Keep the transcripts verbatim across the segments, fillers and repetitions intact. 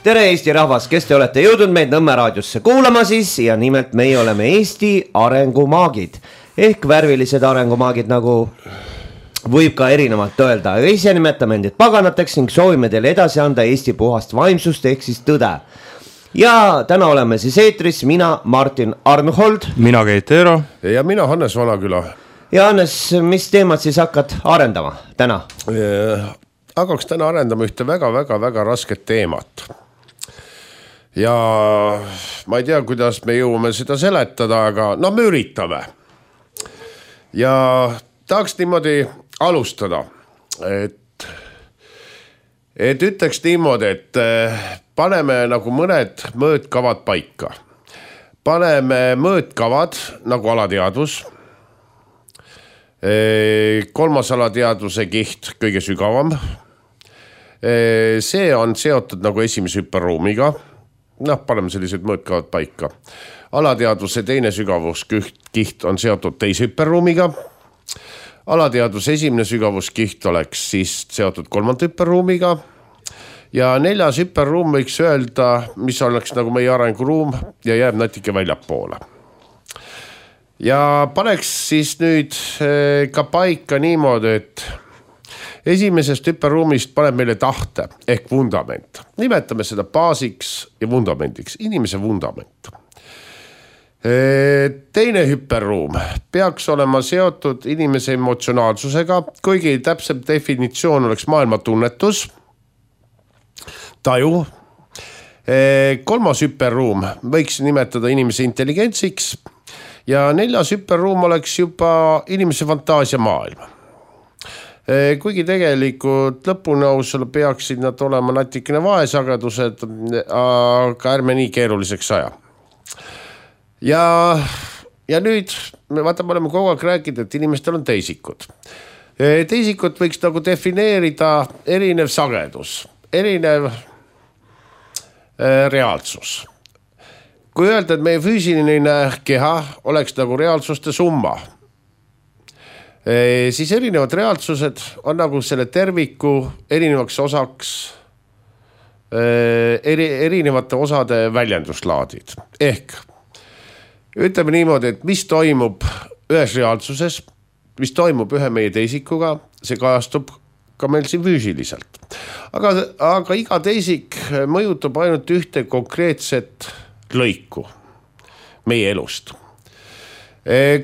tere Eesti rahvas, kes te olete jõudnud meid Nõmme raadiosse kuulama siis ja nimelt meie oleme Eesti arengumaagid ehk värvilised arengumaagid, nagu võib ka erinevalt öelda. Ise nimetame endid paganateks ning soovime teile edasi anda Eesti puhast vaimsust ehk siis tõde. Ja täna oleme siis eetris mina, Martin Arnhold, mina Keit Eero ja mina Hannes Vanaküla. Ja Hannes, mis teemad siis hakkad arendama täna? Hakkaks täna arendama ühte väga-väga-väga rasket teemat. Ja ma ei tea, kuidas me jõuame seda seletada, aga no me üritame. Ja tahaks niimoodi alustada, et, et ütleks niimoodi, et paneme nagu mõned mõõtkavad paika. Paneme mõõtkavad nagu alateadvus. Kolmas alateadvuse kiht kõige sügavam. See on seotud nagu esimese hüperruumiga. Noh, paneme sellised mõõtkavad paika. Alateadvuse teine sügavuskiht on seotud teise hüperruumiga. Alateadvuse esimene sügavuskiht oleks siis seotud kolmanda hüperruumiga. Ja neljas hüperruum võiks öelda, mis oleks nagu meie arenguruum ja jääb natuke väljapoole. Ja paneks siis nüüd ka paika niimoodi, et esimesest hüperruumist paneb meile tahte ehk vundament. Nimetame seda baasiks ja vundamendiks, inimese vundament. Teine hüperruum peaks olema seotud inimese emotsionaalsusega, kuigi täpsem definitsioon oleks maailma tunnetus, taju. Kolmas hüperruum võiks nimetada inimese intelligentsiks ja neljas hüperruum oleks juba inimese fantaasia maailm. Kuigi tegelikult lõpunõusel peaksid nad olema natikene vaesagedused, aga ärme nii keeruliseks aja. Ja, ja nüüd me vaatame, oleme kogu aeg rääkinud, et inimestel on teisikud. Teisikut võiks nagu defineerida erinev sagedus, erinev reaalsus. Kui öelda, et meie füüsiline keha oleks nagu reaalsuste summa, siis erinevad reaalsused on nagu selle terviku erinevaks osaks, eri, erinevate osade väljenduslaadid. Ehk ütleme niimoodi, et mis toimub ühes reaalsuses, mis toimub ühe meie teisikuga, see kajastub ka meil siin füüsiliselt. Aga, aga iga teisik mõjutab ainult ühte konkreetset lõiku meie elust.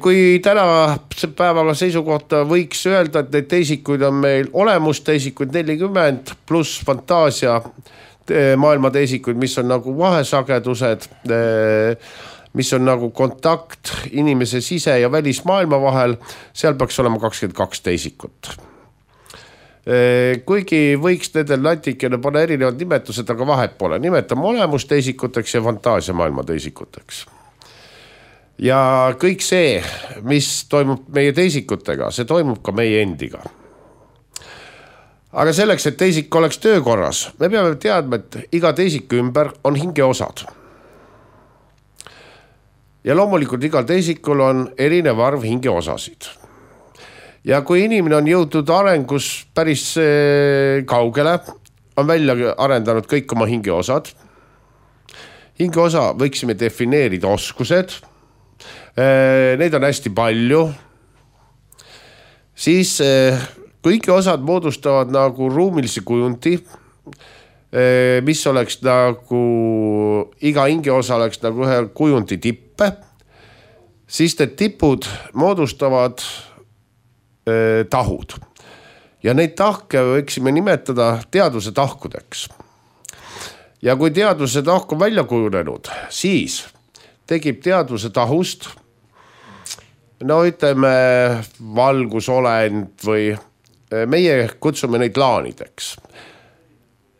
Kui täna päevaga seisukohta võiks öelda, et neid teisikuid on meil olemusteisikuid nelikümmend pluss fantaasia maailma teisikuid, mis on nagu vahesagedused, mis on nagu kontakt inimese sise- ja välismaailma vahel, seal peaks olema kakskümmend kaks teisikut. Kuigi võiks nendel natikene panna erinevad nimetused, aga vahet pole. Nimetame olemusteisikuteks ja fantaasia maailma teisikuteks. Ja kõik see, mis toimub meie teisikutega, see toimub ka meie endiga. Aga selleks, et teisik oleks töökorras, me peame teadma, et iga teisiku ümber on hingeosad. Ja loomulikult igal teisikul on erinev arv hingeosasid. Ja kui inimene on jõudnud arengus päris kaugele, on välja arendanud kõik oma hingeosad. Hingeosa võiksime defineerida oskused. Neid on hästi palju. Siis kõik osad moodustavad nagu ruumilise kujundi, mis oleks nagu, iga hingeosa oleks nagu ühe kujundi tippe. Siis need tipud moodustavad tahud. Ja neid tahke võiksime nimetada teadvuse tahkudeks. Ja kui teadvuse tahk on välja kujunenud, siis tekib teadvuse tahust, no ütleme valgusolend või meie kutsume neid laanideks.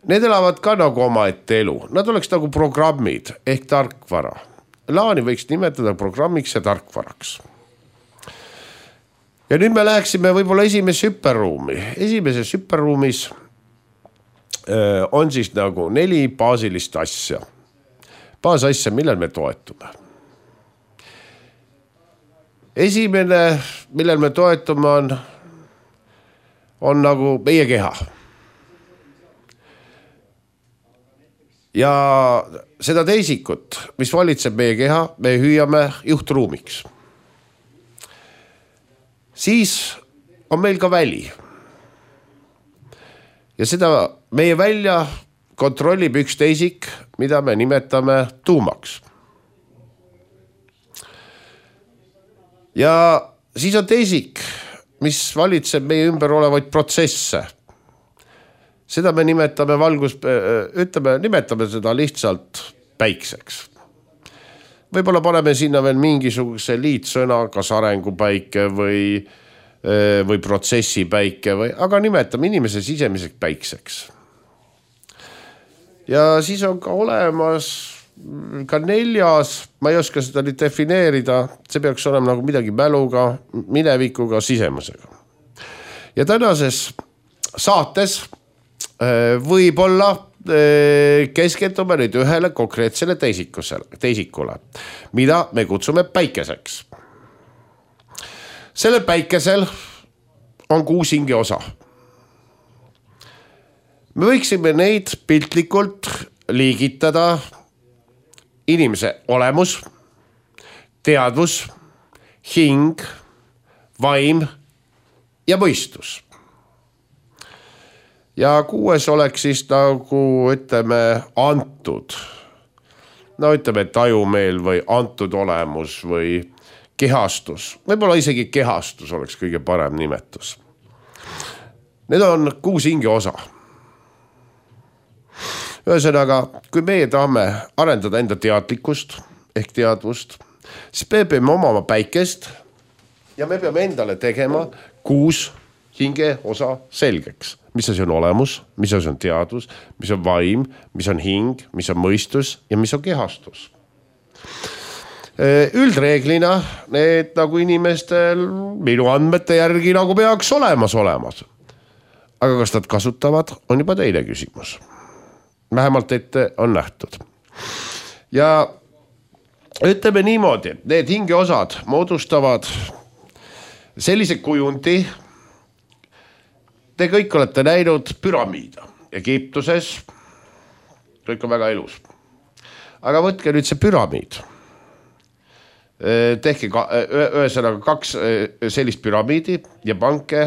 Need elavad ka nagu oma ette elu. Nad oleks nagu programmid ehk tarkvara. Laani võiks nimetada programmiks ja tarkvaraks. Ja nüüd me läheksime võib-olla esimesse hüperruumi. Esimeses hüperruumis on siis nagu neli baasilist asja. Baasasja, millel me toetume. Esimene, millel me toetume, on, on nagu meie keha. ja seda teisikut, mis valitseb meie keha, me hüüame juhtruumiks. Siis on meil ka väli. Ja seda meie välja kontrollib üks teisik, mida me nimetame tuumaks. Ja siis on teisik, mis valitseb meie ümber olevaid protsesse. Seda me nimetame valgus, ütleme, nimetame seda lihtsalt päikseks. Võib-olla paneme sinna veel mingisuguse liitsõna, kas arengupäike või, või protsessipäike, või, aga nimetame inimese sisemiseks päikseks. Ja siis on ka olemas ka neljas, ma ei oska seda nüüd defineerida, see peaks olema nagu midagi mäluga, minevikuga, sisemusega. Ja tänases saates võib-olla keskendume nüüd ühele konkreetsele teisikule, mida me kutsume päikeseks. Selle päikesel on kuus hinge osa. Me võiksime neid piltlikult liigitada inimese olemus, teadvus, hing, vaim ja mõistus. Ja kuues oleks siis nagu, ütleme, antud. No ütleme, tajumeel või antud olemus või kehastus. Võib-olla isegi kehastus oleks kõige parem nimetus. Need on kuus hinge osa. Ühesõnaga, kui meie tahame arendada enda teadlikkust ehk teadvust, siis me peame omama päikest ja me peame endale tegema kuus hinge osa selgeks. Mis asi on olemus, mis asi on teadvus, mis on vaim, mis on hing, mis on mõistus ja mis on kehastus. Üldreeglina need nagu inimestel minu andmete järgi nagu peaks olemas olemas. Aga kas nad kasutavad, on juba teine küsimus. Vähemalt ette on nähtud. Ja ütleme niimoodi, need hingeosad moodustavad sellise kujundi. Te kõik olete näinud püramiida Egiptuses. Kõik on väga elus. Aga võtke nüüd see püramiid. Tehke ühesõnaga kaks sellist püramiidi ja panke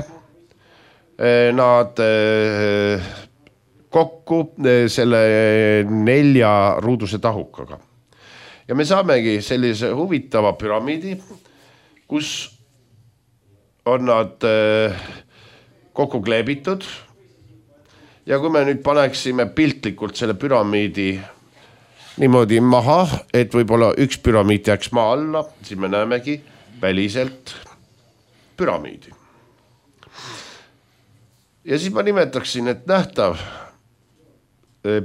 nad kokku selle nelja ruuduse tahukaga. Ja me saamegi sellise huvitava püramiidi, kus on nad kokku kleebitud. Ja kui me nüüd paneksime piltlikult selle püramiidi niimoodi maha, et võib-olla üks püramiid jääks maa alla, siis me näemegi väliselt püramiidi. Ja siis ma nimetaksin, et nähtav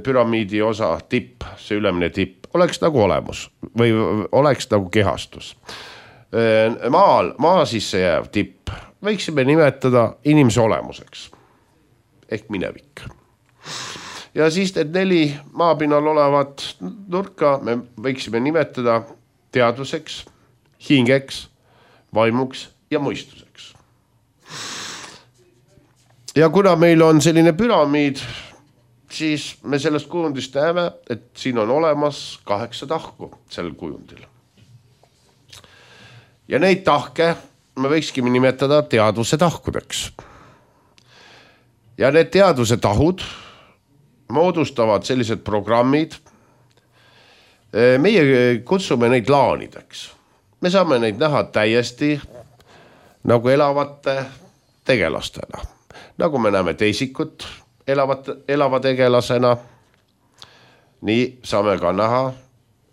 püramiidi osa tipp, see ülemine tipp, oleks nagu olemus või oleks nagu kehastus. Maal, maa sisse jääv tipp võiksime nimetada inimese olemuseks ehk minevik. Ja siis need neli maapinnal olevat nurka me võiksime nimetada teadvuseks, hingeks, vaimuks ja mõistuseks. Ja kuna meil on selline püramiid, siis me sellest kujundist näeme, et siin on olemas kaheksa tahku sellel kujundil. Ja neid tahke me võikski nimetada teadvuse tahkudeks. Ja need teadvuse tahud moodustavad sellised programmid. Meie kutsume neid laanideks. Me saame neid näha täiesti nagu elavate tegelastena. Nagu me näeme teisikut elavate, elava tegelasena, nii saame ka näha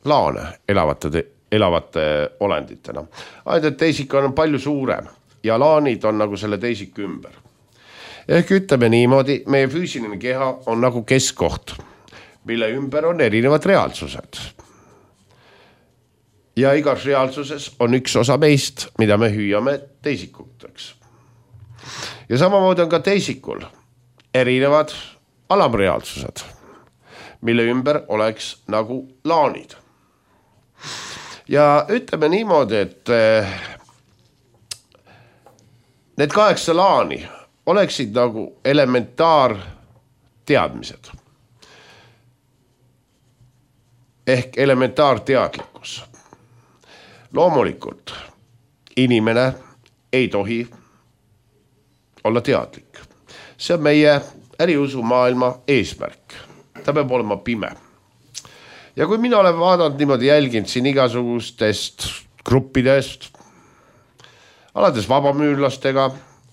laane elavate tegelasena. elavate olenditena. Ainult teisik on palju suurem ja laanid on nagu selle teisik ümber. Ehk ütleme niimoodi, meie füüsiline keha on nagu keskkoht, mille ümber on erinevad reaalsused. Ja igas reaalsuses on üks osa meist, mida me hüüame teisikuteks. Ja samamoodi on ka teisikul erinevad alamreaalsused, mille ümber oleks nagu laanid. Ja ütleme niimoodi, et need kaheksa laani oleksid nagu elementaar teadmised. ehk elementaarteadlikkus. Loomulikult inimene ei tohi olla teadlik. See on meie äriusu maailma eesmärk. Ta peab olema pime. Ja kui mina olen vaadanud niimoodi jälginud siin igasugustest gruppidest, alades vabamüürlastega,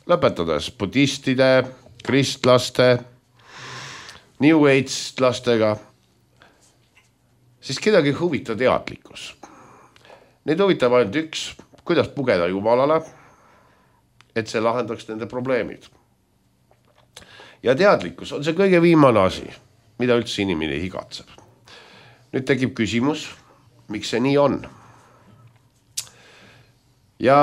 lõpetades budistide, kristlaste, New Age-lastega, siis kedagi huvita teadlikkus. Neid huvitab ainult üks, kuidas pugeda Jumalale, et see lahendaks nende probleemid. Ja teadlikkus on see kõige viimane asi, mida üldse inimene higatseb. Nüüd tekib küsimus, miks see nii on. Ja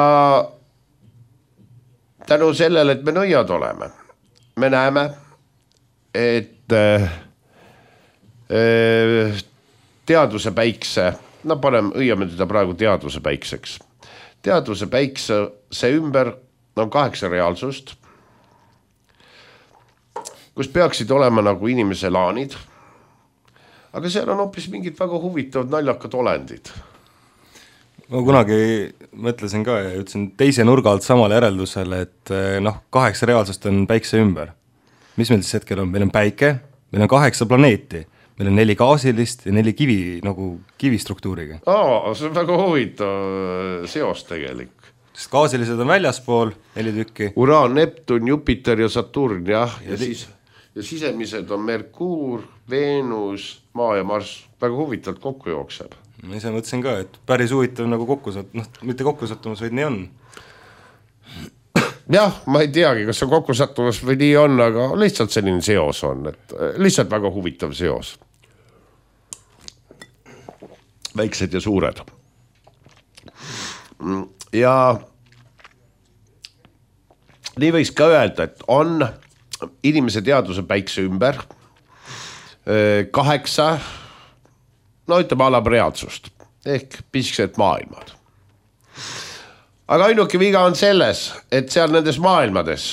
tänu sellele, et me nõiad oleme, me näeme, et äh, teaduse päikse, no paneme, õieme teda praegu teaduse päikseks. Teaduse päikse see ümber on kaheksa reaalsust, kus peaksid olema nagu inimese laanid, aga seal on hoopis mingid väga huvitavad naljakad olendid. Ma kunagi mõtlesin ka ja ütlesin teise nurga alt samale järeldusele, et noh, kaheksa reaalsust on päikse ümber. Mis meil siis hetkel on? Meil on päike, meil on kaheksa planeeti, meil on neli gaasilist ja neli kivi, nagu kivistruktuuriga. Aa, see on väga huvitav seos tegelik. Sest gaasilised on väljaspool, neli tükki. Uraan, Neptun, Jupiter ja Saturn, jah. Ja, ja, siis, ja sisemised on Merkuur, Veenus, Maa ja Mars. Väga huvitavalt kokku jookseb. Ma ise mõtlesin ka, et päris huvitav nagu kokku satt, noh, mitte kokku sattumus, vaid nii on. Jah, ma ei teagi, kas see kokku sattumus või nii on, aga lihtsalt selline seos on, et lihtsalt väga huvitav seos. Väiksed ja suured. Ja nii võiks ka öelda, et on inimese teaduse päikse ümber kaheksa, no ütleme alab reaalsust, ehk pisked maailmad. Aga ainuke viga on selles, et seal nendes maailmades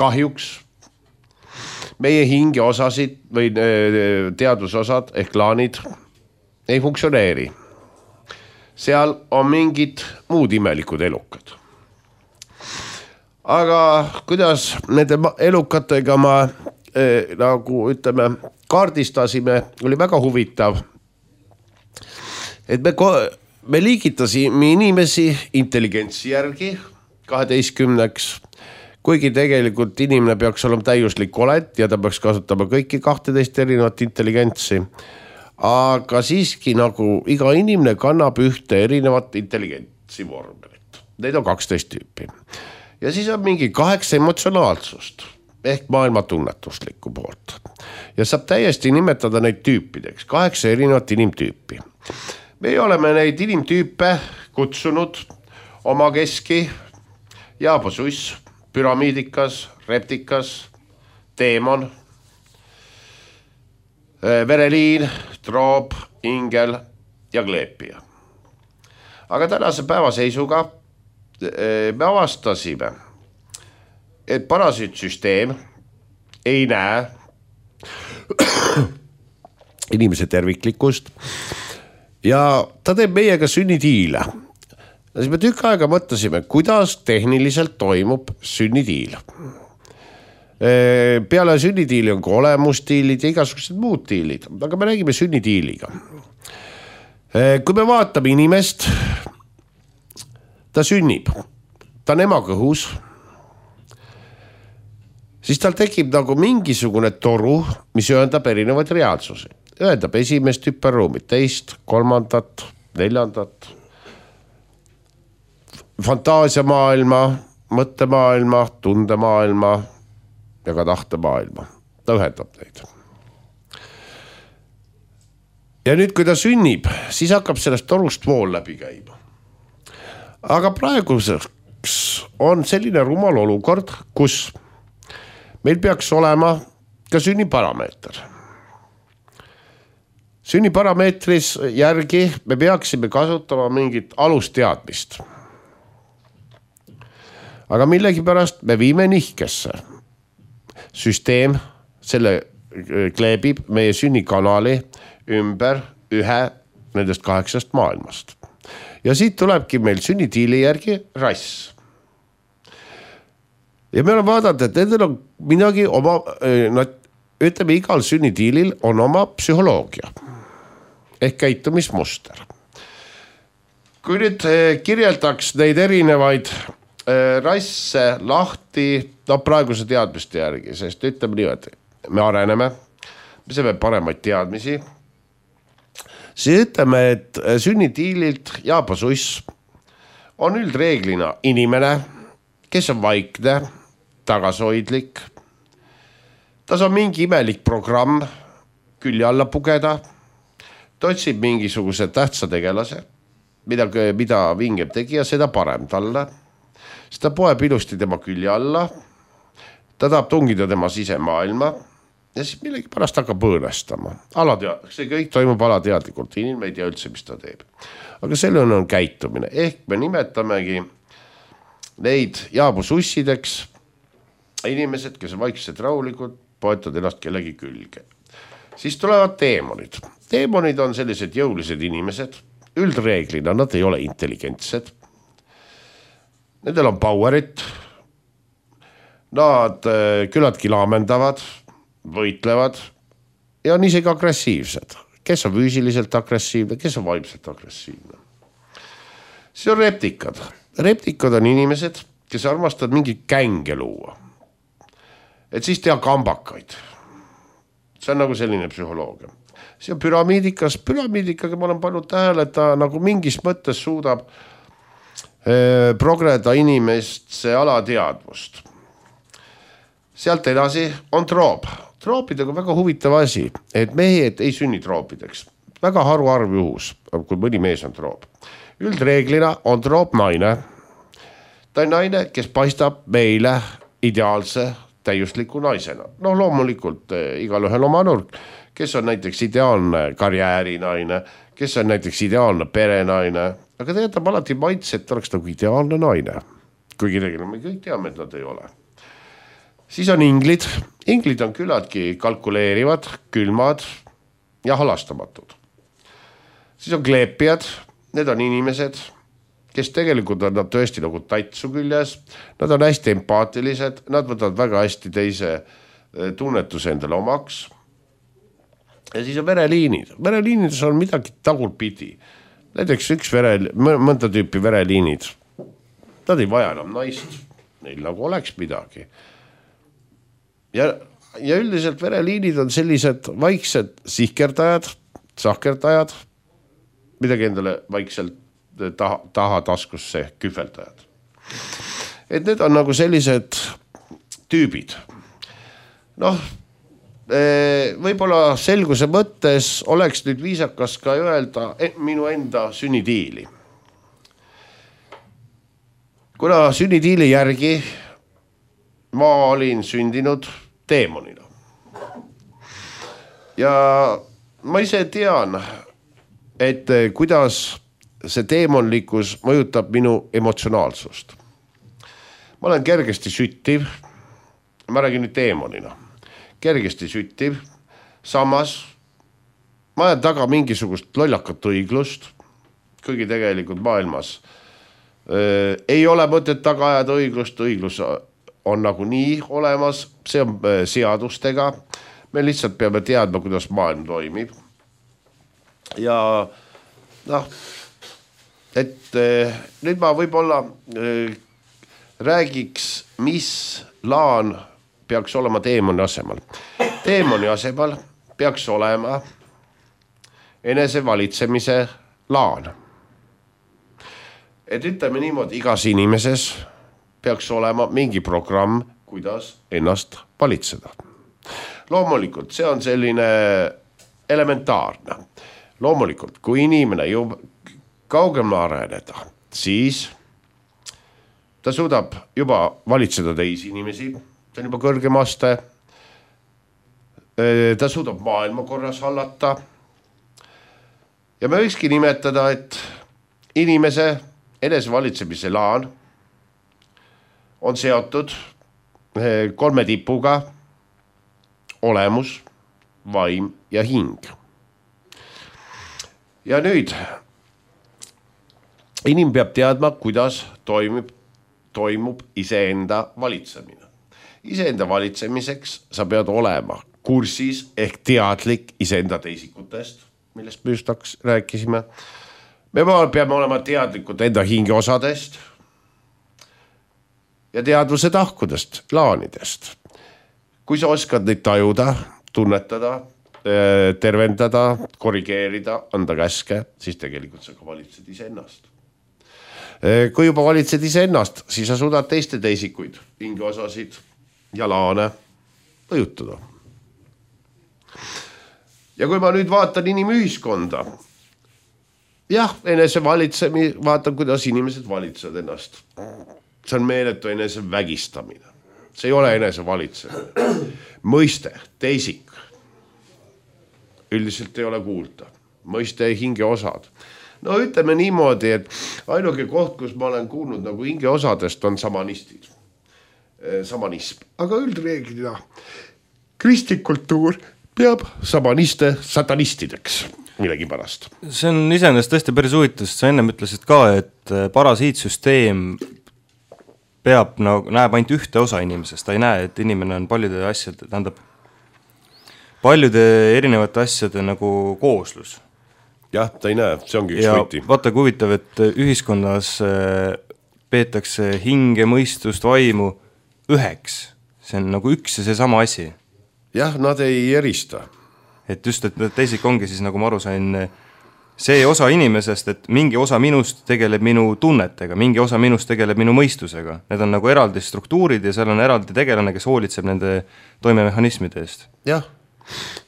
kahjuks meie hinge osasid või teadusosad ehk laanid ei funktsioneeri. Seal on mingid muud imelikud elukad. Aga kuidas nende elukatega ma eh, nagu ütleme kaardistasime, oli väga huvitav, et me, me liigitasime inimesi intelligentsi järgi kaheteistkümneks, kuigi tegelikult inimene peaks olema täiuslik olend ja ta peaks kasutama kõiki kahteteist erinevat intelligentsi. Aga siiski nagu iga inimene kannab ühte erinevat intelligentsi vormelit. Neid on kaksteist tüüpi. Ja siis on mingi kaheksa emotsionaalsust ehk maailma tunnetuslikku poolt. Ja saab täiesti nimetada neid tüüpideks, kaheksa erinevat inimtüüpi. Me oleme neid inimtüüpe kutsunud oma keski, jaabosuss, püramiidikas, reptikas, teemon, vereliin, troob, ingel ja kleepija. Aga tänase päevaseisuga me avastasime, et parasüütsüsteem ei näe inimese terviklikkust ja ta teeb meiega sünnitiile. Siis me tükk aega mõtlesime, kuidas tehniliselt toimub sünnitiil. Peale sünnitiili on ka olemustiilid ja igasugused muud tiilid, aga me räägime sünnitiiliga. Kui me vaatame inimest, ta sünnib, ta on ema kõhus, siis tal tekib nagu mingisugune toru, mis ühendab erinevaid reaalsusi. Ühendab esimest hüperruumit, teist, kolmandat, neljandat, fantaasiamaailma, mõttemaailma, tundemaailma ja ka tahtemaailma. Ta ühendab neid. Ja nüüd, kui ta sünnib, siis hakkab sellest torust vool läbi käima. Aga praeguseks on selline rumal olukord, kus meil peaks olema ka sünniparameeter. Sünniparameetris järgi me peaksime kasutama mingit alusteadmist. Aga millegipärast me viime nihkesse. Süsteem, selle kleebib meie sünnikanali ümber ühe nendest kaheksast maailmast. Ja siit tulebki meil sünnitiili järgi rass. Ja me oleme vaadanud, et nendel on midagi oma, nad, ütleme, igal sünnitiilil on oma psühholoogia ehk käitumismuster. Kui nüüd kirjeldaks neid erinevaid rasse lahti, no praeguse teadmiste järgi, sest ütleme nii, et me areneme, me saame paremaid teadmisi, siis ütleme, et sünnitiililt jaapasuss on üldreeglina inimene, kes on vaikne, tagasoidlik, ta on mingi imelik programm külje alla pugeda, ta otsib mingisuguse tähtsa tegelase, mida, mida vingem tegija, seda parem talle, seda poeb ilusti tema külje alla, ta tahab tungida tema sisemaailma ja siis millegi pärast hakkab õõnestama. Alatead... See kõik toimub alateadlikult, inimene ei tea üldse, mis ta teeb. Aga selle on käitumine, ehk me nimetamegi neid jaabusussideks inimesed, kes on vaiksed rahulikud, poetavad ennast kellegi külge. Siis tulevad teemonid. Teemonid on sellised jõulised inimesed, üldreeglina nad ei ole intelligentsed. Nendel on powerit, nad küllaltki laamendavad, võitlevad ja on isegi agressiivsed. Kes on füüsiliselt agressiivne, kes on vaimselt agressiivne. See on reptikad. Reptikad on inimesed, kes armastavad mingi känge luua. Et siis teha kambakaid. See on nagu selline psühholoogia. See on püramiidikas. Püramiidikaga ma olen pannud tähele, et ta nagu mingis mõttes suudab eh, progreda inimest see alateadvust. Sealt edasi on troop. Troopidega on väga huvitav asi, et mehed ei sünni troopideks. Väga haruarv juhus, kui mõni mees on troop. Üldreeglina on troop naine. Ta on naine, kes paistab meile ideaalse täiusliku naisena. No loomulikult eh, igal ühel oma nurk, kes on näiteks ideaalne karjäärinaine, kes on näiteks ideaalne perenaine, aga ta jätab alati maitse, et oleks nagu ideaalne naine. Kuigi tegelikult me kõik teame, et nad ei ole. Siis on inglid. Inglid on küllaltki kalkuleerivad, külmad ja halastamatud. Siis on kleepijad. Need on inimesed, kes tegelikult on nad tõesti nagu tatsu küljes. Nad on hästi empaatilised, nad võtavad väga hästi teise tunnetuse endale omaks. Ja siis on vereliinid. Vereliinides on midagi tagurpidi. Näiteks üks vere, mõnda tüüpi vereliinid. Nad ei vaja enam naist, neil nagu oleks midagi. Ja, ja üldiselt vereliinid on sellised vaiksed sihkerdajad, sahkerdajad, midagi endale vaikselt taha, taha taskusse kühveldajad. Et need on nagu sellised tüübid. Noh, võib-olla selguse mõttes oleks nüüd viisakas ka öelda minu enda sünnitiili. Kuna sünnitiili järgi ma olin sündinud teemonina. Ja ma ise tean, et kuidas see teemonlikkus mõjutab minu emotsionaalsust. Ma olen kergesti süttiv, ma räägin nüüd teemonina, kergesti süttiv, samas ma ajan taga mingisugust lollakat õiglust, kuigi tegelikult maailmas äh, ei ole mõtet taga ajada õiglust, õiglus on nagu nii olemas, see on äh, seadustega, me lihtsalt peame teadma, kuidas maailm toimib. Ja noh, et äh, nüüd ma võib-olla äh, räägiks, mis laan peaks olema teemoni asemal. Teemoni asemal peaks olema enesevalitsemise laan. Et ütleme niimoodi, igas inimeses peaks olema mingi programm, kuidas ennast valitseda. Loomulikult, see on selline elementaarne. Loomulikult, kui inimene jõuab kaugemale areneda, siis ta suudab juba valitseda teisi inimesi, ta on juba kõrgem aste, ta suudab maailma korras hallata ja me võikski nimetada, et inimese enesevalitsemise laan on seotud kolme tipuga olemus, vaim ja hing. Ja nüüd inim peab teadma, kuidas toimub, toimub iseenda valitsemine. Iseenda valitsemiseks sa pead olema kursis ehk teadlik iseenda teisikutest, millest me just rääkisime. Me peame olema teadlikud enda hingeosadest ja teadvuse tahkudest, laanidest. Kui sa oskad neid tajuda, tunnetada, tervendada, korrigeerida, anda käske, siis tegelikult sa ka valitsed iseennast. Kui juba valitsed iseennast, siis sa suudad teiste teisikuid, hingeosasid ja laane mõjutada. Ja kui ma nüüd vaatan inimühiskonda, jah, enese valitsemi, vaatan, kuidas inimesed valitsevad ennast. See on meeletu enese vägistamine. See ei ole enese valitsemine. Mõiste, teisik. Üldiselt ei ole kuulda. Mõiste hingeosad. No ütleme niimoodi, et ainuke koht, kus ma olen kuulnud nagu hingeosadest, on samanistid. Samanism. Aga üldreeglina kristlik kultuur peab samaniste satanistideks millegi pärast. See on iseenesest tõesti päris huvitav, sest sa ennem ütlesid ka, et parasiitsüsteem peab, no, näeb ainult ühte osa inimesest, ta ei näe, et inimene on paljude asjade, tähendab, paljude erinevate asjade nagu kooslus. Jah, ta ei näe, see ongi üks ja võti. Vaata, kui huvitav, et ühiskonnas peetakse hinge, mõistust, vaimu üheks. See on nagu üks ja see sama asi. Jah, nad ei erista. Et just, et teisik ongi siis, nagu ma aru sain, see osa inimesest, et mingi osa minust tegeleb minu tunnetega, mingi osa minust tegeleb minu mõistusega. Need on nagu eraldi struktuurid ja seal on eraldi tegelane, kes hoolitseb nende toimemehhanismide eest. Jah,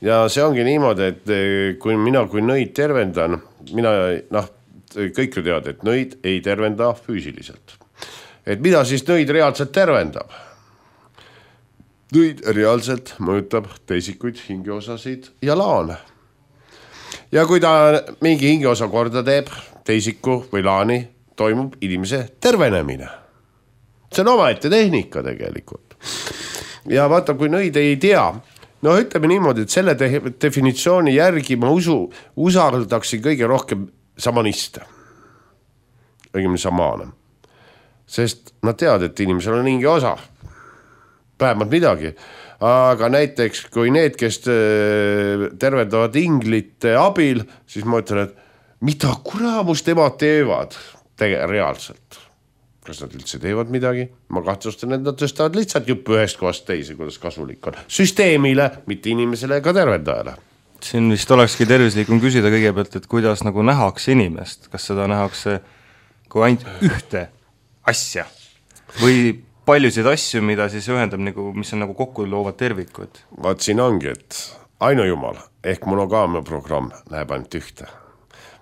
ja see ongi niimoodi, et kui mina kui nõid tervendan, mina, noh, kõik ju tead, et nõid ei tervenda füüsiliselt. Et mida siis nõid reaalselt tervendab? Nõid reaalselt mõjutab teisikuid, hingeosasid ja laane. Ja kui ta mingi hingeosa korda teeb, teisiku või laani, toimub inimese tervenemine. See on omaette tehnika tegelikult. Ja vaata, kui nõid ei tea, no ütleme niimoodi, et selle definitsiooni järgi ma usu, usaldaksin kõige rohkem samaniste. Õigemini samaane. Sest nad teavad, et inimesel on hinge osa. Vähemalt midagi. Aga näiteks, kui need, kes tervendavad inglite abil, siis ma ütlen, et mida kuraamus nemad teevad tege- reaalselt. Kas nad üldse teevad midagi? Ma kahtlustan, et nad tõstavad lihtsalt jupp ühest kohast teise, kuidas kasulik on. Süsteemile, mitte inimesele ega tervendajale. Siin vist olekski tervislikum küsida kõigepealt, et kuidas nagu nähakse inimest. Kas seda nähakse kui ainult ühte asja või paljusid asju, mida siis ühendab, nagu, mis on nagu kokku loovad tervikud. Vaat siin ongi, et ainujumal ehk monogaamia programm näeb ainult ühte.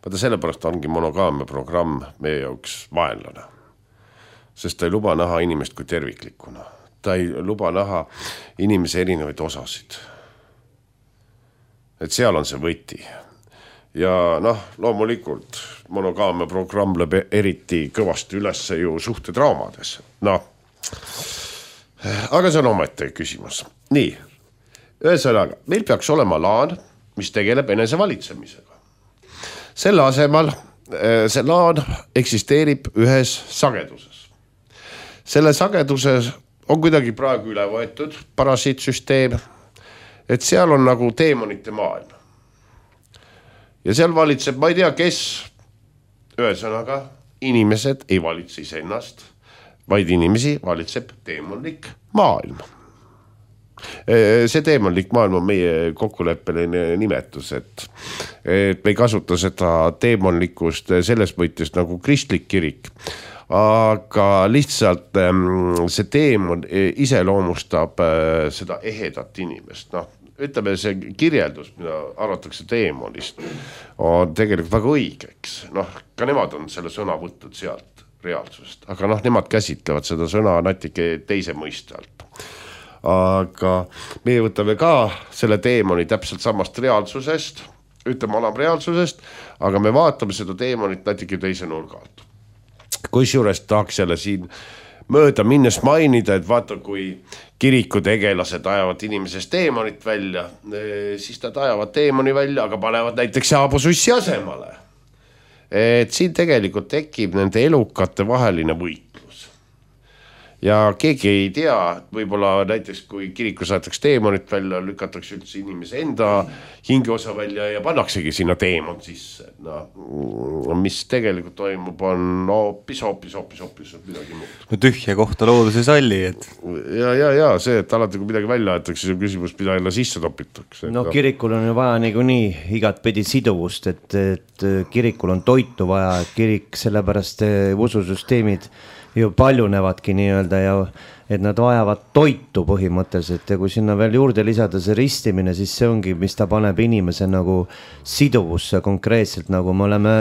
Vaata sellepärast ongi monogaamia programm meie jaoks vaenlane. Sest ta ei luba näha inimest kui terviklikuna. Ta ei luba näha inimese erinevaid osasid. Et seal on see võti. Ja noh, loomulikult monogaamia programm lööb eriti kõvasti üles ju suhtetraumades. Noh, aga see on omaette küsimus. Nii, ühesõnaga, meil peaks olema laan, mis tegeleb enese valitsemisega. Selle asemel see laan eksisteerib ühes sageduses. Selle sageduses on kuidagi praegu üle võetud parasiitsüsteem, et seal on nagu teemonite maailm. Ja seal valitseb, ma ei tea, kes, ühesõnaga, inimesed ei valitse iseennast, vaid inimesi valitseb teemonlik maailm. See teemonlik maailm on meie kokkuleppeline nimetus, et, et me ei kasuta seda teemonlikust selles mõttes nagu kristlik kirik, aga lihtsalt see teemon iseloomustab seda ehedat inimest. Noh, ütleme, see kirjeldus, mida arvatakse teemonist, on tegelikult väga õigeks. Noh, ka nemad on selle sõna võtnud sealt reaalsusest, aga noh, nemad käsitlevad seda sõna natuke teise mõiste alt. Aga meie võtame ka selle teemoni täpselt samast reaalsusest, ütleme alam reaalsusest, aga me vaatame seda teemonit natuke teise nurga alt. Kusjuures tahaks jälle siin mööda minnes mainida, et vaata, kui kirikutegelased ajavad inimesest teemonit välja, siis nad ajavad teemoni välja, aga panevad näiteks jaabusussi asemale. Et siin tegelikult tekib nende elukate vaheline võitlus. Ja keegi ei tea, võib-olla näiteks kui kirikus aetakse teemonit välja, lükatakse üldse inimese enda hingeosa välja ja pannaksegi sinna teemon sisse. No, mis tegelikult toimub, on hoopis, hoopis, hoopis, hoopis midagi muud. No tühja kohta loodus ei salli, et... Ja, ja, ja see, et alati kui midagi välja aetakse, see on küsimus, mida jälle sisse topitakse. No kirikul on ju vaja nagu nii igat pidi siduvust, et, et kirikul on toitu vaja, et kirik sellepärast ususüsteemid ju paljunevadki nii-öelda ja et nad vajavad toitu põhimõtteliselt ja kui sinna veel juurde lisada see ristimine, siis see ongi, mis ta paneb inimese nagu siduvusse konkreetselt, nagu me oleme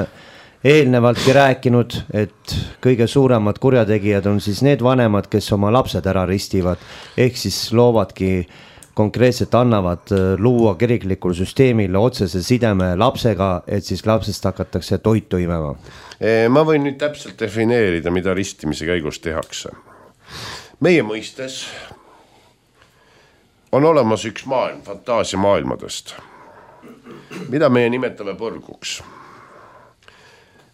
eelnevaltki rääkinud, et kõige suuremad kurjategijad on siis need vanemad, kes oma lapsed ära ristivad, ehk siis loovadki konkreetselt annavad luua kiriklikul süsteemil otsese sideme lapsega, et siis lapsest hakatakse toitu imema. Ma võin nüüd täpselt defineerida, mida ristimise käigus tehakse. Meie mõistes on olemas üks maailm, fantaasia maailmadest, mida meie nimetame põrguks.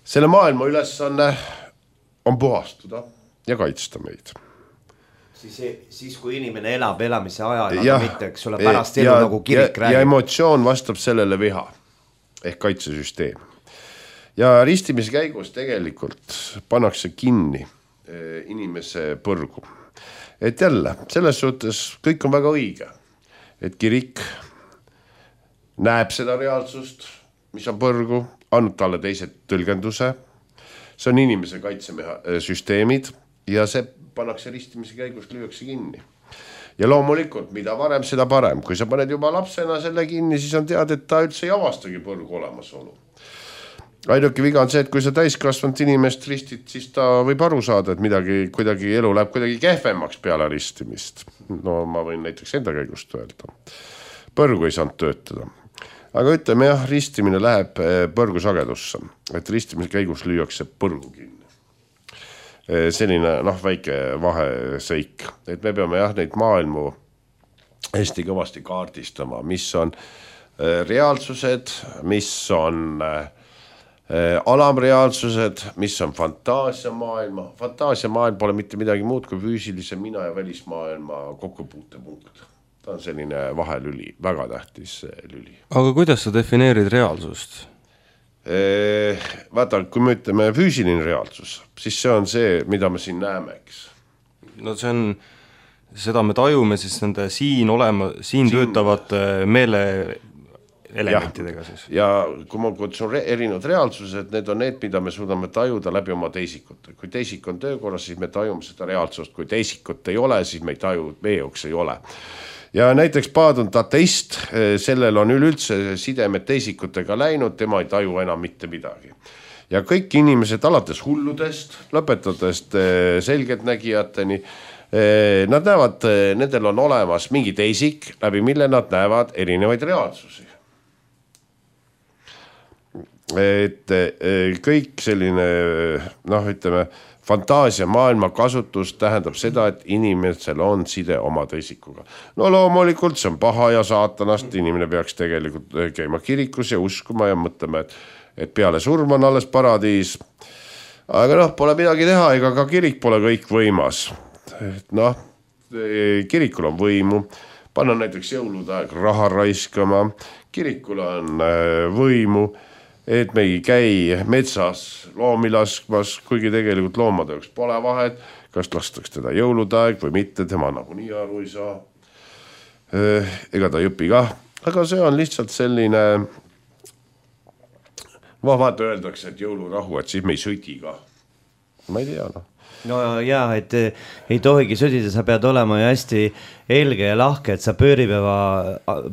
Selle maailma ülesanne on puhastuda ja kaitsta meid. Siis, siis kui inimene elab elamise ajal, aga mitte, eks ole, pärast elu ja, nagu kirik ja, räägib. Ja emotsioon vastab sellele viha ehk kaitsesüsteem. Ja ristimise käigus tegelikult pannakse kinni inimese põrgu. Et jälle, selles suhtes kõik on väga õige, et kirik näeb seda reaalsust, mis on põrgu, annab talle teised tõlgenduse, see on inimese kaitsesüsteemid ja see pannakse ristimise käigus lüüakse kinni. Ja loomulikult, mida varem, seda parem. Kui sa paned juba lapsena selle kinni, siis on teada, et ta üldse ei avastagi põrgu olemasolu. Ainuke viga on see, et kui sa täiskasvanud inimest ristid, siis ta võib aru saada, et midagi, kuidagi elu läheb kuidagi kehvemaks peale ristimist. No ma võin näiteks enda käigust öelda. Põrgu ei saanud töötada. Aga ütleme jah, ristimine läheb põrgu sagedusse, et ristimise käigus lüüakse põrgu kinni. Selline noh, väike vaheseik, et me peame jah neid maailmu hästi kõvasti kaardistama, mis on reaalsused, mis on alamreaalsused, mis on fantaasia maailma. Fantaasia maailm pole mitte midagi muud kui füüsilise mina ja välismaailma kokkupuutepunkt. Ta on selline vahelüli, väga tähtis lüli. Aga kuidas sa defineerid reaalsust? Vaata, kui me ütleme füüsiline reaalsus, siis see on see, mida me siin näeme, eks. No see on, seda me tajume siis nende siin olema, siin, siin... töötavate meele elementidega siis. Ja kui ma kutsun re- erinevad reaalsused, need on need, mida me suudame tajuda läbi oma teisikute. Kui teisik on töökorras, siis me tajume seda reaalsust. Kui teisikut ei ole, siis me ei taju, meie jaoks ei ole. Ja näiteks paadunud ateist, sellel on üleüldse sidemed teisikutega läinud, tema ei taju enam mitte midagi. Ja kõik inimesed alates hulludest, lõpetadest selgeltnägijateni, nad näevad, nendel on olemas mingi teisik, läbi mille nad näevad erinevaid reaalsusi. Et kõik selline, noh ütleme, fantaasia maailma kasutus tähendab seda, et inimesel on side oma teisikuga. No loomulikult see on paha ja saatanast, inimene peaks tegelikult käima kirikus ja uskuma ja mõtlema, et, et peale surma on alles paradiis. Aga noh, pole midagi teha, ega ka kirik pole kõik võimas. Noh, kirikul on võimu, panna näiteks jõulude aeg raha raiskama, kirikul on võimu, et me ei käi metsas loomi laskmas, kuigi tegelikult loomade jaoks pole vahet, kas lastaks teda jõuludaeg või mitte, tema nagu nii aru ei saa. Ega ta ei õpi ka, aga see on lihtsalt selline, vaata öeldakse, et jõulurahu, et siis me ei sõdi ka. Ma ei tea, noh. No jaa, et ei tohigi sõdida, sa pead olema ju hästi helge ja lahke, et sa pööripäeva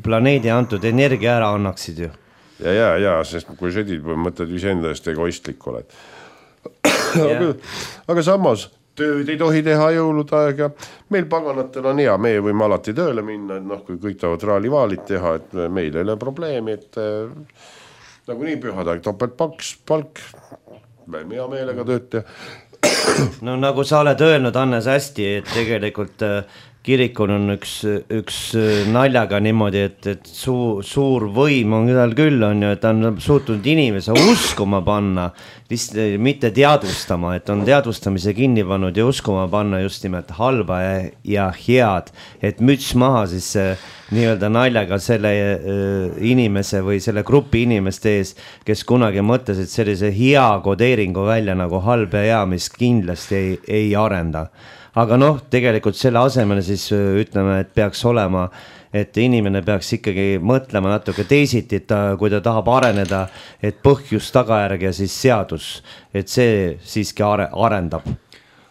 planeedi antud energia ära annaksid ju. Ja, ja, ja, sest kui sõdid või mõtled iseenda eest egoistlik oled. aga, aga samas, tööd ei tohi teha jõuludaeg ja meil paganatel on hea, meie võime alati tööle minna, et noh, kui kõik tahavad raalivaalit teha, et meil ei ole probleemi, et nagu nii pühadaeg topelt paks, palk, võime hea meelega tööd teha. no nagu sa oled öelnud, Hannes, hästi, et tegelikult kirikul on üks, üks naljaga niimoodi, et, et suur, suur võim on tal küll, on ju, et ta on suutnud inimese uskuma panna, vist mitte teadvustama, et on teadvustamise kinni pannud ja uskuma panna just nimelt halba ja, ja head, et müts maha siis nii-öelda naljaga selle äh, inimese või selle grupi inimeste ees, kes kunagi mõtlesid sellise hea kodeeringu välja nagu halb ja hea, mis kindlasti ei, ei arenda. Aga noh, tegelikult selle asemel siis ütleme, et peaks olema, et inimene peaks ikkagi mõtlema natuke teisiti, et ta, kui ta tahab areneda, et põhjus, tagajärg ja siis seadus, et see siiski are, arendab.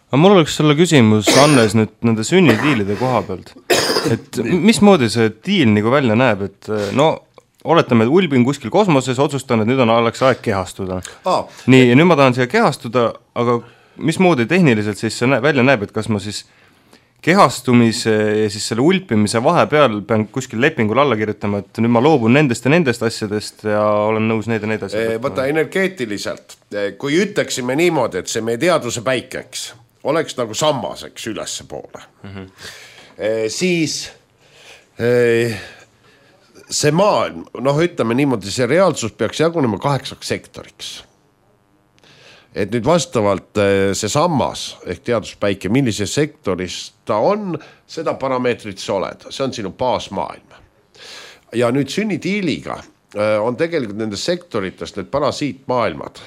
Aga mul oleks sulle küsimus, Hannes, nüüd nende sünnidiilide koha pealt. Et mismoodi see diil nagu välja näeb, et no oletame, et ulbin kuskil kosmoses, otsustan, et nüüd on oleks aeg kehastuda. Ah. Nii, ja nüüd ma tahan siia kehastuda, aga mismoodi tehniliselt siis see välja näeb, et kas ma siis kehastumise ja siis selle ulpimise vahepeal pean kuskil lepingul alla kirjutama, et nüüd ma loobun nendest ja nendest asjadest ja olen nõus neid ja neid asjad. Võta energeetiliselt, kui ütleksime niimoodi, et see meie teaduse päikeks oleks nagu sammaseks ülesse poole, mm-hmm. e, siis e, see maailm, noh ütleme niimoodi, see reaalsus peaks jagunema kaheksaks sektoriks. Et nüüd vastavalt see sammas ehk teaduspäike, millises sektoris ta on, seda parameetrit sa oled. See on sinu baasmaailm. Ja nüüd sünnitiiliga on tegelikult nendes sektoritest need parasiitmaailmad.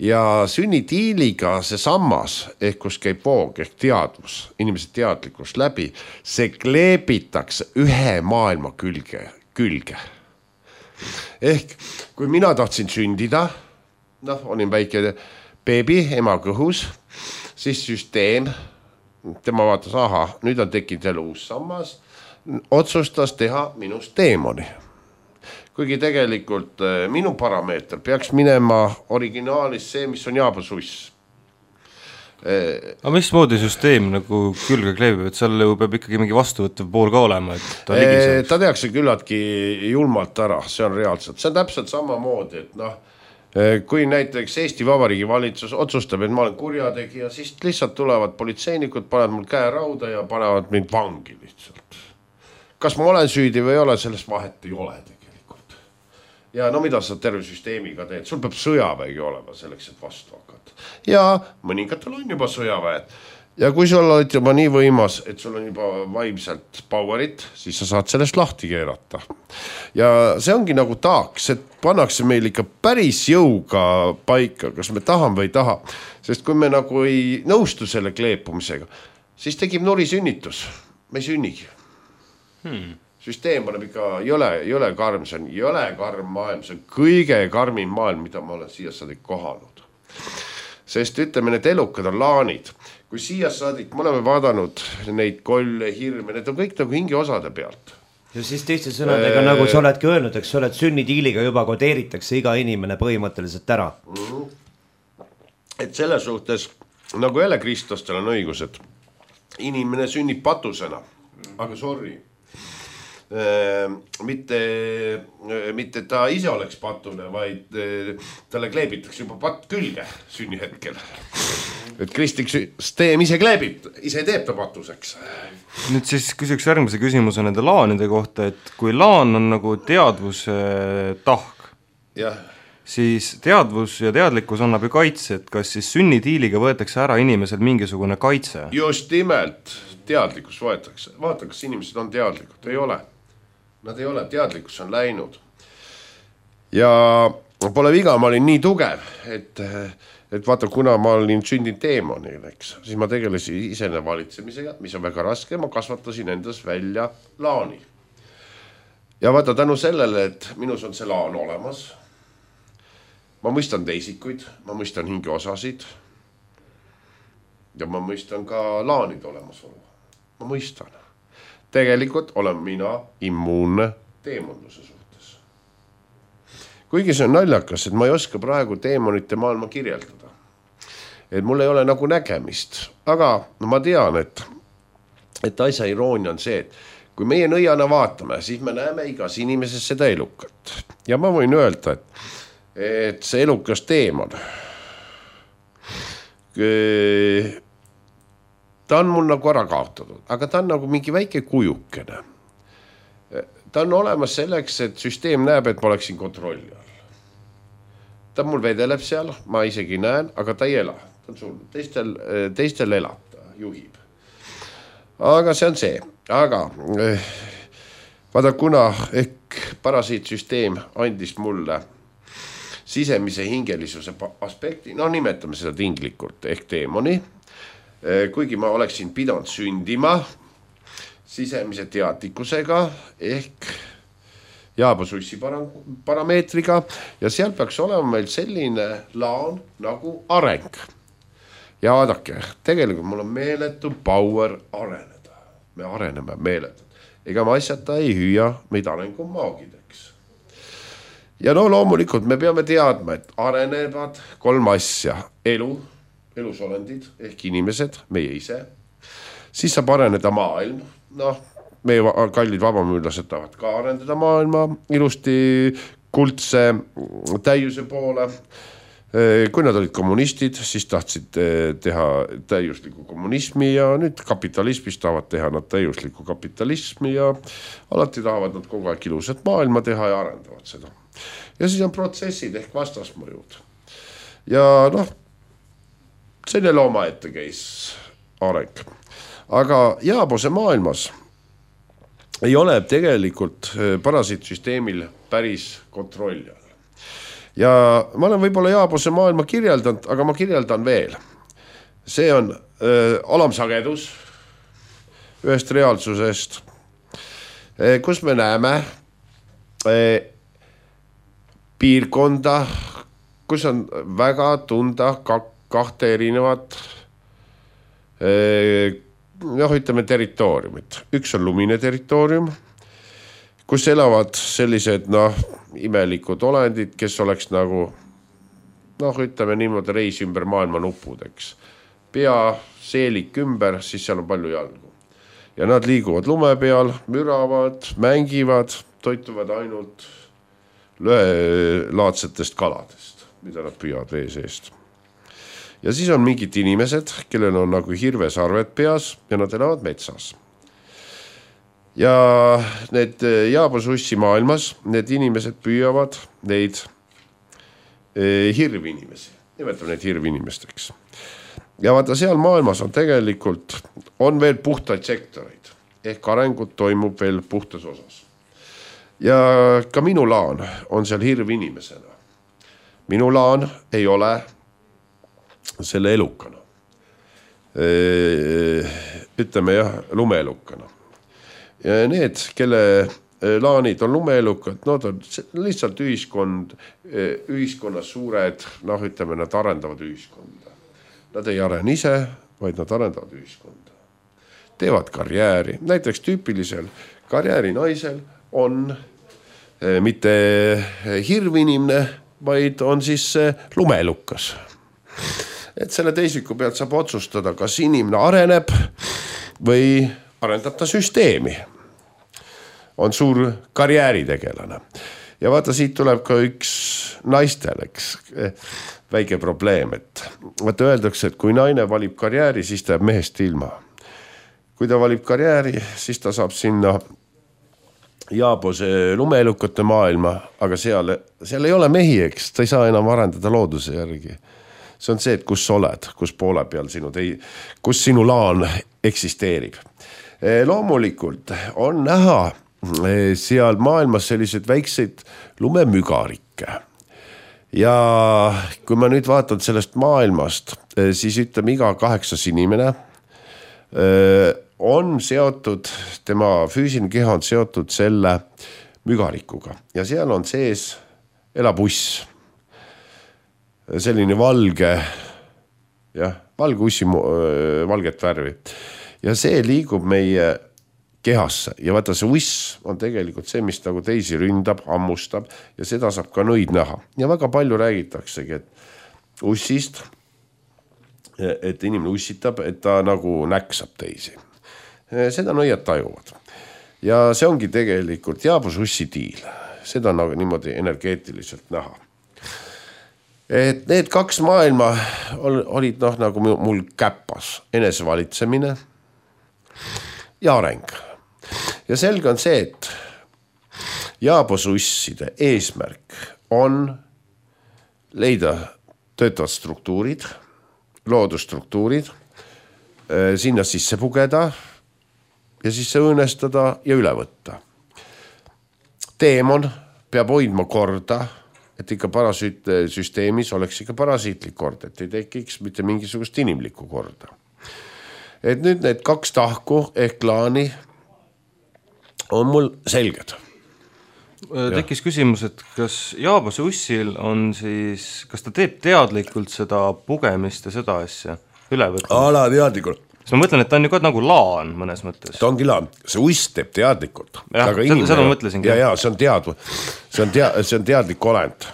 Ja sünnitiiliga see sammas, ehk kus käib voog, ehk teadvus, inimese teadlikkus läbi, see kleebitakse ühe maailma külge. külge. Ehk kui mina tahtsin sündida, noh, olin väike beebi, ema kõhus, siis süsteem, tema vaatas, aha, nüüd on tekkinud jälle uus sammas, otsustas teha minust teemoni. Kuigi tegelikult minu parameeter peaks minema originaalis see, mis on jaabasuss. Aga mismoodi süsteem nagu külge kleebib, et seal peab ikkagi mingi vastuvõttev pool ka olema, et ta ligiseb? Ta tehakse küllaltki julmalt ära, see on reaalselt. See on täpselt samamoodi, et noh, kui näiteks Eesti Vabariigi valitsus otsustab, et ma olen kurjategija, siis lihtsalt tulevad politseinikud, panevad mul käe rauda ja panevad mind vangi lihtsalt. Kas ma olen süüdi või ei ole, sellest vahet ei ole tegelikult. Ja no mida sa terve süsteemiga teed? Sul peab sõjaväegi olema selleks, et vastu hakata. Ja mõningatel on juba sõjaväed. Ja kui sul oled juba nii võimas, et sul on juba vaimselt powerit, siis sa saad sellest lahti keerata. Ja see ongi nagu taaks, et pannakse meil ikka päris jõuga paika, kas me tahame või ei taha. Sest kui me nagu ei nõustu selle kleepumisega, siis tekib nuri sünnitus. Me ei sünnigi. Hmm. Süsteem on ikka jõle, jõle karm, see on jõle karm maailm, see on kõige karmim maailm, mida ma olen siia saadik kohanud. Sest ütleme, need elukad on laanid. Kui siia saadik, me oleme vaadanud neid kolle, hirme, need on kõik nagu hingi osade pealt. Ja siis teiste sõnadega, äh... nagu sa oledki öelnud, eks sa oled sünnitiiliga juba kodeeritakse iga inimene põhimõtteliselt ära. Mm-hmm. Et selle suhtes, nagu jälle Kristostel on õigus, et inimene sünnib patusena, aga sorry. Mitte, mitte ta ise oleks patune, vaid talle kleebitakse juba patt külge sünni hetkel. Et kristlik süsteem ise kleebib, ise teeb ta patuseks. Nüüd siis küsiks järgmise küsimuse nende laanide kohta, et kui laan on nagu teadvuse tahk, ja. Siis teadvus ja teadlikkus annab ju kaitse, et kas siis sünnitiiliga võetakse ära inimesel mingisugune kaitse? Just nimelt teadlikkus võetakse. Vaata, kas inimesed on teadlikud, ei ole. Nad ei ole, teadlikkus on läinud. Ja pole viga, ma olin nii tugev, et, et vaata, kuna ma olin sündinud teemonil, eks, siis ma tegelesin isene valitsemisega, mis on väga raske, ma kasvatasin endas välja laani. Ja vaata, tänu sellele, et minus on see laan olemas, ma mõistan teisikuid, ma mõistan hinge osasid ja ma mõistan ka laanid olemasolu. Ma mõistan. Tegelikult olen mina immuunne teemonduse suhtes. Kuigi see on naljakas, et ma ei oska praegu teemonite maailma kirjeldada. Et mul ei ole nagu nägemist. Aga no ma tean, et, et asja iroonia on see, et kui meie nõiana vaatame, siis me näeme igas inimeses seda elukat. Ja ma võin öelda, et, et see elukas teemon, ta on mul nagu ära kaotatud, aga ta on nagu mingi väike kujukene. Ta on olemas selleks, et süsteem näeb, et ma oleksin kontrolli all. Ta mul vedeleb seal, ma isegi näen, aga ta ei ela. Ta on sul, teistel, teistel elab, ta juhib. Aga see on see. Aga vaada, kuna ehk parasiitsüsteem andis mulle sisemise hingelisuse aspekti, no nimetame seda tinglikult, ehk teemoni, kuigi ma oleksin pidanud sündima sisemise teadlikkusega ehk jaabasussi parameetriga ja seal peaks olema meil selline laan nagu areng. Ja vaadake, tegelikult mul on meeletu power areneda. Me areneme meeletult. Ega ma asjata ei hüüa meid arengumaagideks. Ja no loomulikult me peame teadma, et arenevad kolm asja. Elu, elusolendid ehk inimesed, meie ise. Siis saab areneda maailm. Noh, meie kallid vabamüülased tahavad ka arendada maailma ilusti kuldse täiuse poole. Kui nad olid kommunistid, siis tahtsid teha täiuslikku kommunismi ja nüüd kapitalismis tahavad teha nad täiuslikku kapitalismi ja alati tahavad nad kogu aeg ilusat maailma teha ja arendavad seda. Ja siis on protsessid ehk vastasmõjud. Ja noh, selle looma ette käis areng. Aga jaabuse maailmas ei ole tegelikult parasiitsüsteemil päris kontrolli all. Ja ma olen võib-olla jaabuse maailma kirjeldanud, aga ma kirjeldan veel. See on öö, alamsagedus ühest reaalsusest, kus me näeme öö, piirkonda, kus on väga tunda kahte erinevat öö, noh, ütleme territooriumit. Üks on lumine territoorium, kus elavad sellised noh, imelikud olendid, kes oleks nagu noh, ütleme niimoodi reis ümber maailma nupudeks. Pea, seelik ümber, siis seal on palju jalgu. Ja nad liiguvad lume peal, müravad, mängivad, toituvad ainult löelaadsetest kaladest, mida nad püüavad vee seest. Ja siis on mingid inimesed, kellel on nagu hirvesarved peas ja nad elavad metsas. Ja need jaabasussi maailmas, need inimesed püüavad neid hirvi inimesi, nimetame neid hirvi inimesteks. Ja vaata, seal maailmas on tegelikult, on veel puhtaid sektoreid, ehk arengut toimub veel puhtas osas. Ja ka minu laan on seal hirvi inimesena. Minu laan ei ole selle elukana. Ütleme jah, lumeelukana. Ja need, kelle laanid on lumeelukad, no ta on lihtsalt ühiskond, ühiskonnas suured, noh ütleme, nad arendavad ühiskonda. Nad ei arene ise, vaid nad arendavad ühiskonda. Teevad karjääri. Näiteks tüüpilisel karjääri naisel on mitte hirvinimne, vaid on siis lumeelukas. Et selle teisiku pealt saab otsustada, kas inimene areneb või arendab ta süsteemi. On suur karjääritegelane. Ja vaata, siit tuleb ka üks naistel, eks, väike probleem, et vaata öeldakse, et kui naine valib karjääri, siis ta jääb mehest ilma. Kui ta valib karjääri, siis ta saab sinna jaabuse lumeelukate maailma, aga seal, seal ei ole mehi, eks, ta ei saa enam arendada looduse järgi. See on see, et kus sa oled, kus poole peal sinu, tei, kus sinu laan eksisteerib. Loomulikult on näha seal maailmas sellised väikseid lumemügarikke. Ja kui ma nüüd vaatan sellest maailmast, siis ütleme iga kaheksas inimene on seotud, tema füüsiline keha on seotud selle mügarikuga. Ja seal on sees elabuss. Selline valge, jah, valge ussi valget värvi. Ja see liigub meie kehasse. Ja vaata, see uss on tegelikult see, mis nagu teisi ründab, ammustab ja seda saab ka nõid näha. Ja väga palju räägitaksegi, et ussist, et inimene ussitab, et ta nagu näksab teisi. Seda nõiad tajuvad. Ja see ongi tegelikult jaabusussi tiil. Seda on nagu niimoodi energeetiliselt näha. et need kaks maailma olid noh, nagu mul käpas, enesevalitsemine ja areng. Ja selge on see, et jaabosusside eesmärk on leida töötavad struktuurid, loodusstruktuurid, sinna sisse pugeda ja sisse õõnestada ja üle võtta. Teemon peab hoidma korda, et ikka parasüütsüsteemis oleks ikka parasiitlik kord, et ei tekiks mitte mingisugust inimlikku korda. Et nüüd need kaks tahku ehk klaani on mul selged. Tekkis küsimus, et kas Jaabase ussil on siis, kas ta teeb teadlikult seda pugemist ja seda asja üle võtta? Ala teadlikult. Sest ma mõtlen, et ta on ju ka nagu laan mõnes mõttes. Ta ongi laan, see uss teeb teadlikult. Jah, seda ma mõtlesingi. Ja, ja, see on tead, see on tead, see on teadlik olend.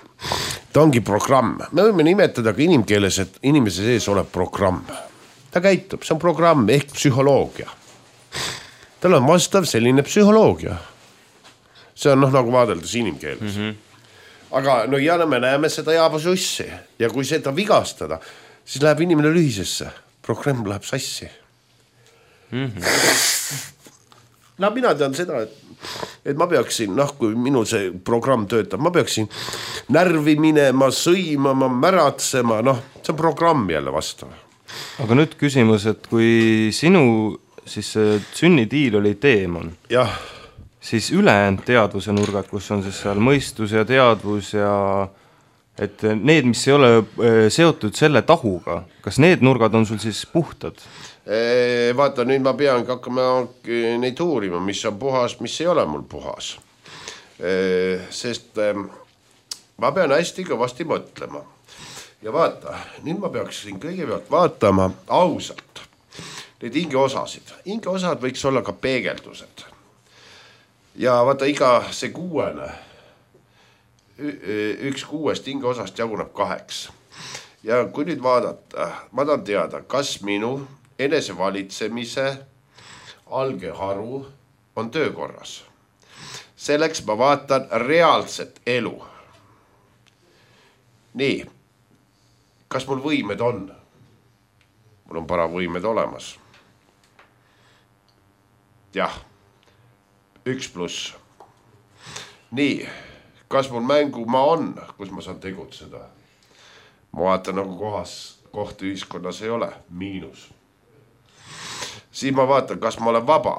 Ta ongi programm. Me võime nimetada ka inimkeeles, et inimese sees oleb programm. Ta käitub, see on programm ehk psühholoogia. Tal on vastav selline psühholoogia. See on noh, nagu vaadeldes inimkeeles. Mm-hmm. Aga no ja me näeme seda Jaabase ussi ja kui seda vigastada, siis läheb inimene lühisesse. Programm läheb sassi. Mm-hmm. No mina tean seda, et, et ma peaksin, noh, kui minu see programm töötab, ma peaksin närvi minema, sõimama, märatsema, noh, see on programm jälle vastav. Aga nüüd küsimus, et kui sinu siis sünnitiil oli teemon, jah. Siis ülejäänud teadvuse nurgad, kus on siis seal mõistus ja teadvus ja et need, mis ei ole seotud selle tahuga, kas need nurgad on sul siis puhtad? Vaata, nüüd ma pean hakkama neid uurima, mis on puhas, mis ei ole mul puhas. Sest ma pean hästi kõvasti mõtlema. Ja vaata, nüüd ma peaksin kõigepealt vaatama ausalt neid hingeosasid. Hingeosad võiks olla ka peegeldused. Ja vaata, iga see kuuene, üks kuuest hingeosast jaguneb kaheks. Ja kui nüüd vaadata, ma tahan teada, kas minu enesevalitsemise algeharu on töökorras. Selleks ma vaatan reaalset elu. Nii, kas mul võimed on? Mul on paravõimed olemas. Jah, üks pluss. Nii, kas mul mängumaa on, kus ma saan tegutseda? Ma vaatan nagu kohas, koht ühiskonnas ei ole, miinus. Siis ma vaatan, kas ma olen vaba.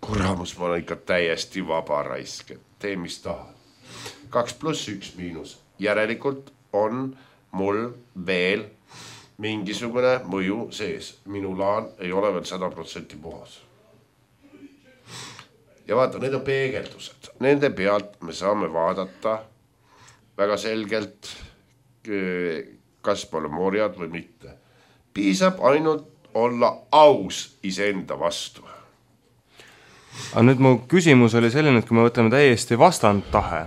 Kuramus, ma olen ikka täiesti vaba raisk, et tee mis tahad. Kaks pluss üks miinus. Järelikult on mul veel mingisugune mõju sees. Minu laan ei ole veel sada protsenti puhas. Ja vaata, need on peegeldused. Nende pealt me saame vaadata väga selgelt, kas pole morjad või mitte. Piisab ainult olla aus iseenda vastu. Aga nüüd mu küsimus oli selline, et kui me võtame täiesti vastand tahe,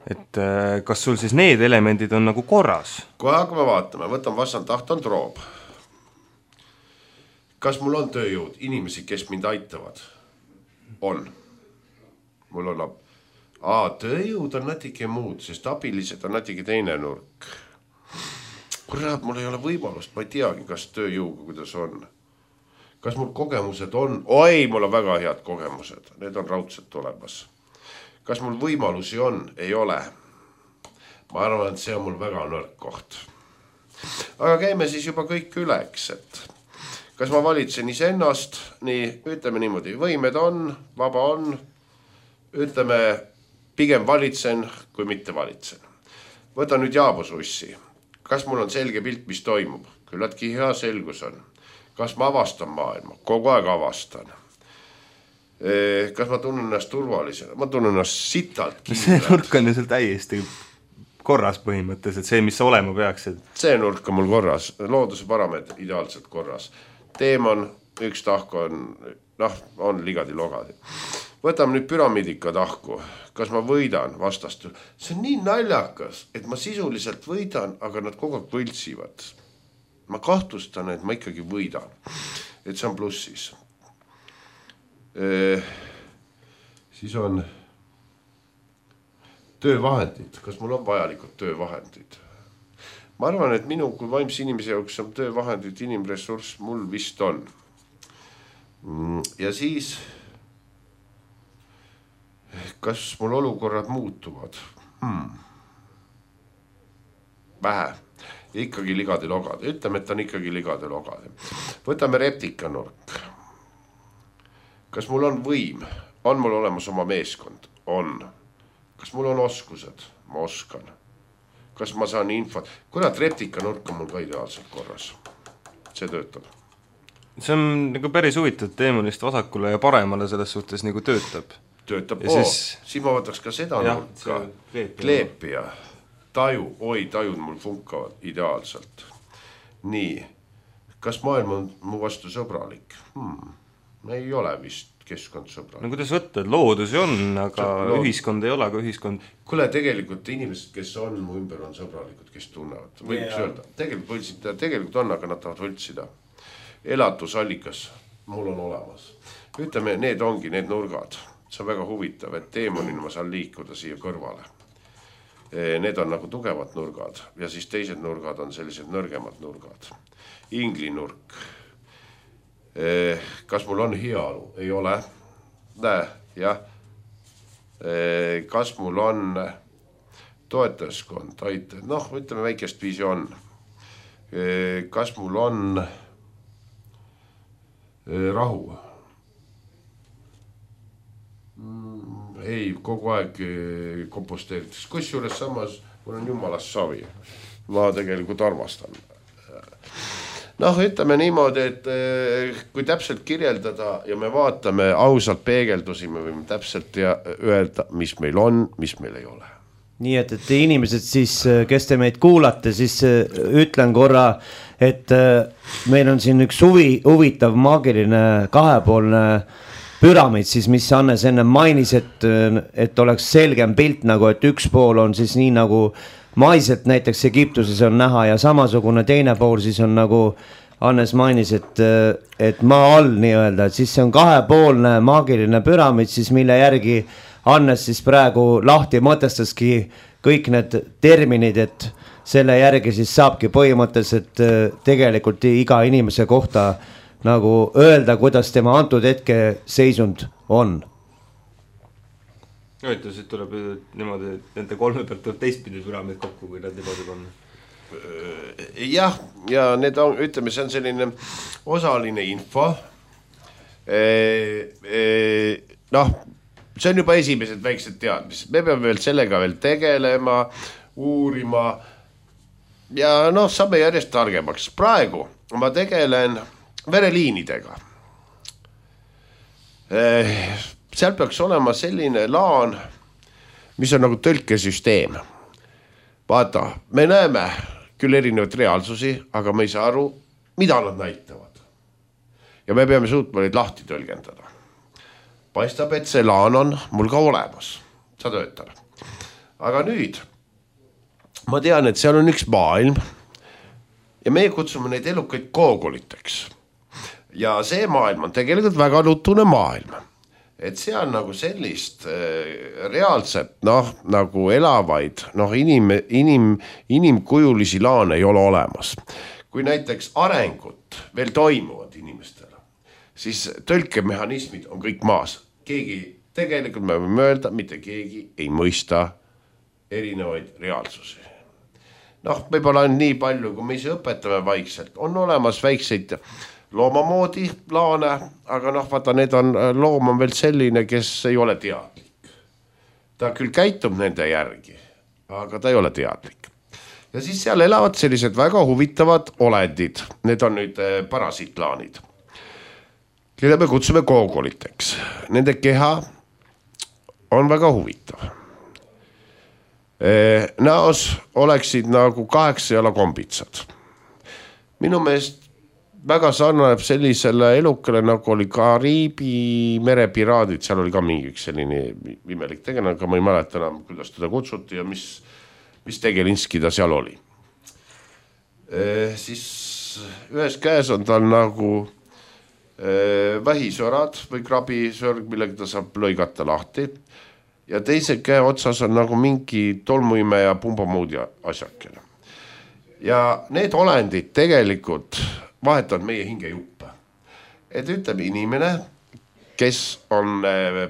et kas sul siis need elemendid on nagu korras? Kohe hakkame vaatama, võtan vastand taht on troob. Kas mul on tööjõud, inimesi, kes mind aitavad? On. Mul on Aa, tööjõud on natuke muud, sest abilised on natuke teine nurk. Kurat, mul ei ole võimalust, ma ei teagi, kas tööjõuga, kuidas on. Kas mul kogemused on? Oi, mul on väga head kogemused, need on raudselt olemas. Kas mul võimalusi on? Ei ole. Ma arvan, et see on mul väga nõrk koht. Aga käime siis juba kõik üleks, et kas ma valitsen iseennast, nii ütleme niimoodi, võimed on, vaba on, ütleme pigem valitsen, kui mitte valitsen. Võta nüüd Jaabase ussi. Kas mul on selge pilt, mis toimub? Küllatki hea selgus on. Kas ma avastan maailma? Kogu aeg avastan. Kas ma tunnen ennast turvalisena? Ma tunnen ennast sitalt kindlalt. See nurk on ju seal täiesti korras põhimõttes, et see, mis sa olema peaksid. See nurk on mul korras. Looduse parameetrid ideaalselt korras. Teemon, üks tahk on, noh, on ligadi logadi. Võtame nüüd püramiidika tahku. Kas ma võidan vastast? See on nii naljakas, et ma sisuliselt võidan, aga nad kogu aeg võltsivad. Ma kahtlustan, et ma ikkagi võidan. Et see on plussis. E, siis on töövahendid. Kas mul on vajalikud töövahendid? ma arvan, et minu kui vaimse inimese jaoks on töövahendid, inimressurss mul vist on. Ja siis kas mul olukorrad muutuvad? Hmm. Vähe. Ikkagi ligade logade. Ütleme, et on ikkagi ligade logade. Võtame reptikanurk. Kas mul on võim? On mul olemas oma meeskond? On. Kas mul on oskused? Ma oskan. Kas ma saan infot? Kurat, reptikanurk on mul ka ideaalselt korras. See töötab. See on nagu päris huvitav teemonist vasakule ja paremale selles suhtes nagu töötab. Töötab. Oo, siis... siis ma võtaks ka seda ja, nurka. Kleepija. Taju. Oi, tajud mul funkavad ideaalselt. Nii. Kas maailm on mu vastu sõbralik? Hmm. Ei ole vist keskkond sõbralik. No kuidas võtta, et loodus on, aga Lood... ühiskond ei ole, aga ühiskond... Kuule, tegelikult inimesed, kes on mu ümber, on sõbralikud, kes tunnevad. Võiks yeah. öelda. Tegelikult võltsida, tegelikult on, aga nad tahavad võltsida. Elatusallikas mul on olemas. Ütleme, need ongi need nurgad. See on väga huvitav, et teemonina ma saan liikuda siia kõrvale. Need on nagu tugevad nurgad ja siis teised nurgad on sellised nõrgemad nurgad. Inglinurk. Kas mul on heaolu? Ei ole. Näe, jah. Kas mul on toetajaskond? Aite. Noh, ütleme väikest viisi on. Kas mul on rahu? Ei, kogu aeg komposteerides. Kusjuures samas mul on jumalast savi. Ma tegelikult armastan. Noh, ütleme niimoodi, et kui täpselt kirjeldada ja me vaatame ausalt peegeldusi, me võime täpselt öelda, mis meil on, mis meil ei ole. Nii et, et inimesed siis, kes te meid kuulate, siis ütlen korra, et meil on siin üks huvi, huvitav maagiline kahepoolne püramiid, siis mis Hannes enne mainis, et, et oleks selgem pilt nagu, et üks pool on siis nii nagu maiselt näiteks Egiptuses on näha ja samasugune teine pool siis on nagu Hannes mainis, et, et maa all nii öelda, et siis see on kahepoolne maagiline püramiid, siis mille järgi Hannes siis praegu lahti mõtestaski kõik need terminid, et selle järgi siis saabki põhimõtteliselt tegelikult iga inimese kohta nagu öelda, kuidas tema antud hetke seisund on. Huvitav, siit tuleb niimoodi, et nende kolme pealt tuleb teistpidi püramiid kokku, kui nad niimoodi on. Jah, ja need on, ütleme, see on selline osaline info. E, e, noh, see on juba esimesed väiksed teadmised. Me peame veel sellega veel tegelema, uurima ja noh, saame järjest targemaks. Praegu ma tegelen vereliinidega. Seal peaks olema selline laan, mis on nagu tõlkesüsteem. Vaata, me näeme küll erinevaid reaalsusi, aga me ei saa aru, mida nad näitavad. Ja me peame suutma neid lahti tõlgendada. Paistab, et see laan on mul ka olemas. Sa töötab. Aga nüüd, ma tean, et seal on üks maailm ja meie kutsume neid elukaid koogoliteks. Ja see maailm on tegelikult väga nutune maailm. Et see on nagu sellist äh, reaalset, noh, nagu elavaid, noh, inim, inim, inimkujulisi laane ei ole olemas. Kui näiteks arengut veel toimuvad inimestele, siis tõlkemehhanismid on kõik maas. Keegi, tegelikult me võime öelda, mitte keegi ei mõista erinevaid reaalsusi. Noh, võib-olla on nii palju, kui me ise õpetame vaikselt. On olemas väikseid loomamoodi laane, aga noh, vaata, need on, loom on veel selline, kes ei ole teadlik. Ta küll käitub nende järgi, aga ta ei ole teadlik. Ja siis seal elavad sellised väga huvitavad olendid. Need on nüüd parasiitlaanid, keda me kutsume koogoliteks. Nende keha on väga huvitav. Näos oleksid nagu kaheksa jala kombitsad. Minu meelest väga sarnaneb sellisele elukale, nagu oli Kariibi merepiraadid, seal oli ka mingi üks selline imelik tegelane, aga ma ei mäleta enam, kuidas teda kutsuti ja mis, mis tegelinski ta seal oli. E, siis ühes käes on tal nagu e, vähisõrad või krabisõrg, millega ta saab lõigata lahti ja teise käe otsas on nagu mingi tolmuime ja pumbamuudi asjakene. ja need olendid tegelikult vahetavad meie hingejuppe. Et ütleme inimene, kes on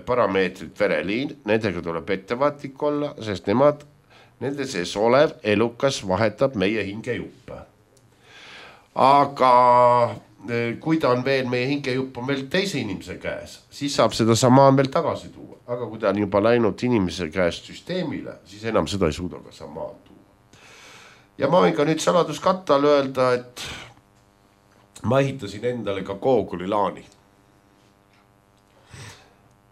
parameetrid vereliin, nendega tuleb ettevaatlik olla, sest nemad, nende sees olev elukas vahetab meie hingejuppe. Aga kui ta on veel, meie hingejupp on veel teise inimese käes, siis saab seda samaan veel tagasi tuua. Aga kui ta on juba läinud inimese käest süsteemile, siis enam seda ei suuda ka samaan tuua. Ja ma võin ka nüüd saladuskattal öelda, et ma ehitasin endale ka Google'i laani.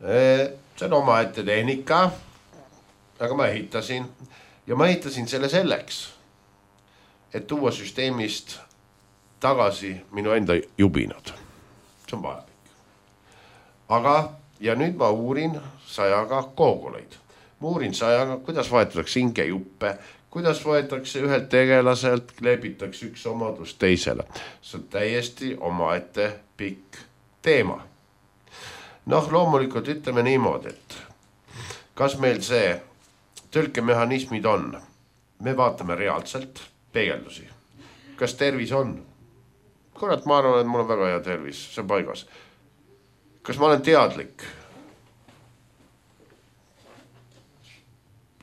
See on oma ette tehnika, aga ma ehitasin ja ma ehitasin selle selleks, et tuua süsteemist tagasi minu enda jubinad. See on vajalik. Aga, ja nüüd ma uurin sajaga Google'id. Ma uurin sajaga, kuidas vaetatakse hingejuppe, kuidas võetakse ühelt tegelaselt, kleebitakse üks omadus teisele. See on täiesti oma ette pikk teema. Noh, loomulikult ütleme niimoodi, et kas meil see tõlkemehhanismid on? Me vaatame reaalselt peegeldusi. Kas tervis on? Kurat, ma arvan, et mul on väga hea tervis, see on paigas. Kas ma olen teadlik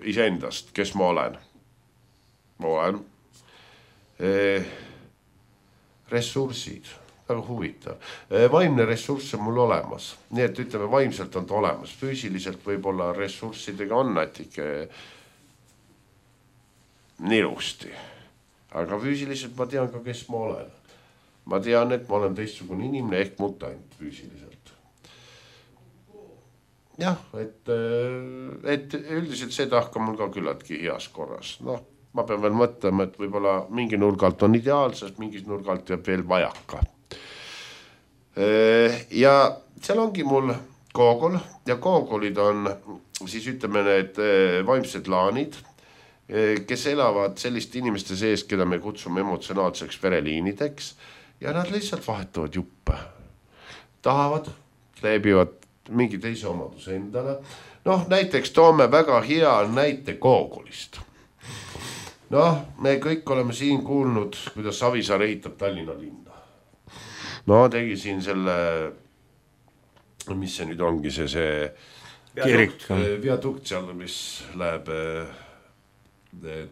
iseendast, kes ma olen? Ma olen eh, ressursid, väga huvitav. Eh, vaimne ressurss on mul olemas, nii et ütleme, vaimselt on ta olemas. Füüsiliselt võib-olla ressurssidega on nätike nilusti, aga füüsiliselt ma tean ka, kes ma olen. Ma tean, et ma olen teistsugune inimene ehk mutant füüsiliselt. Jah, et, et üldiselt see tahka mul ka küllaltki heas korras. Noh, ma pean veel mõtlema, et võib-olla mingi nurgalt on ideaalsest, mingis nurgalt jääb veel vajaka. Ja seal ongi mul Google ja Google'id on siis ütleme need vaimsed laanid, kes elavad selliste inimeste sees, keda me kutsume emotsionaalseks vereliinideks ja nad lihtsalt vahetavad juppe. Tahavad, kleebivad mingi teise omaduse endale. Noh, näiteks toome väga hea näite Google'ist. Noh, me kõik oleme siin kuulnud, kuidas Savisaar ehitab Tallinna linna. No tegi siin selle, mis see nüüd ongi, see see Kirik. Viadukt seal, mis läheb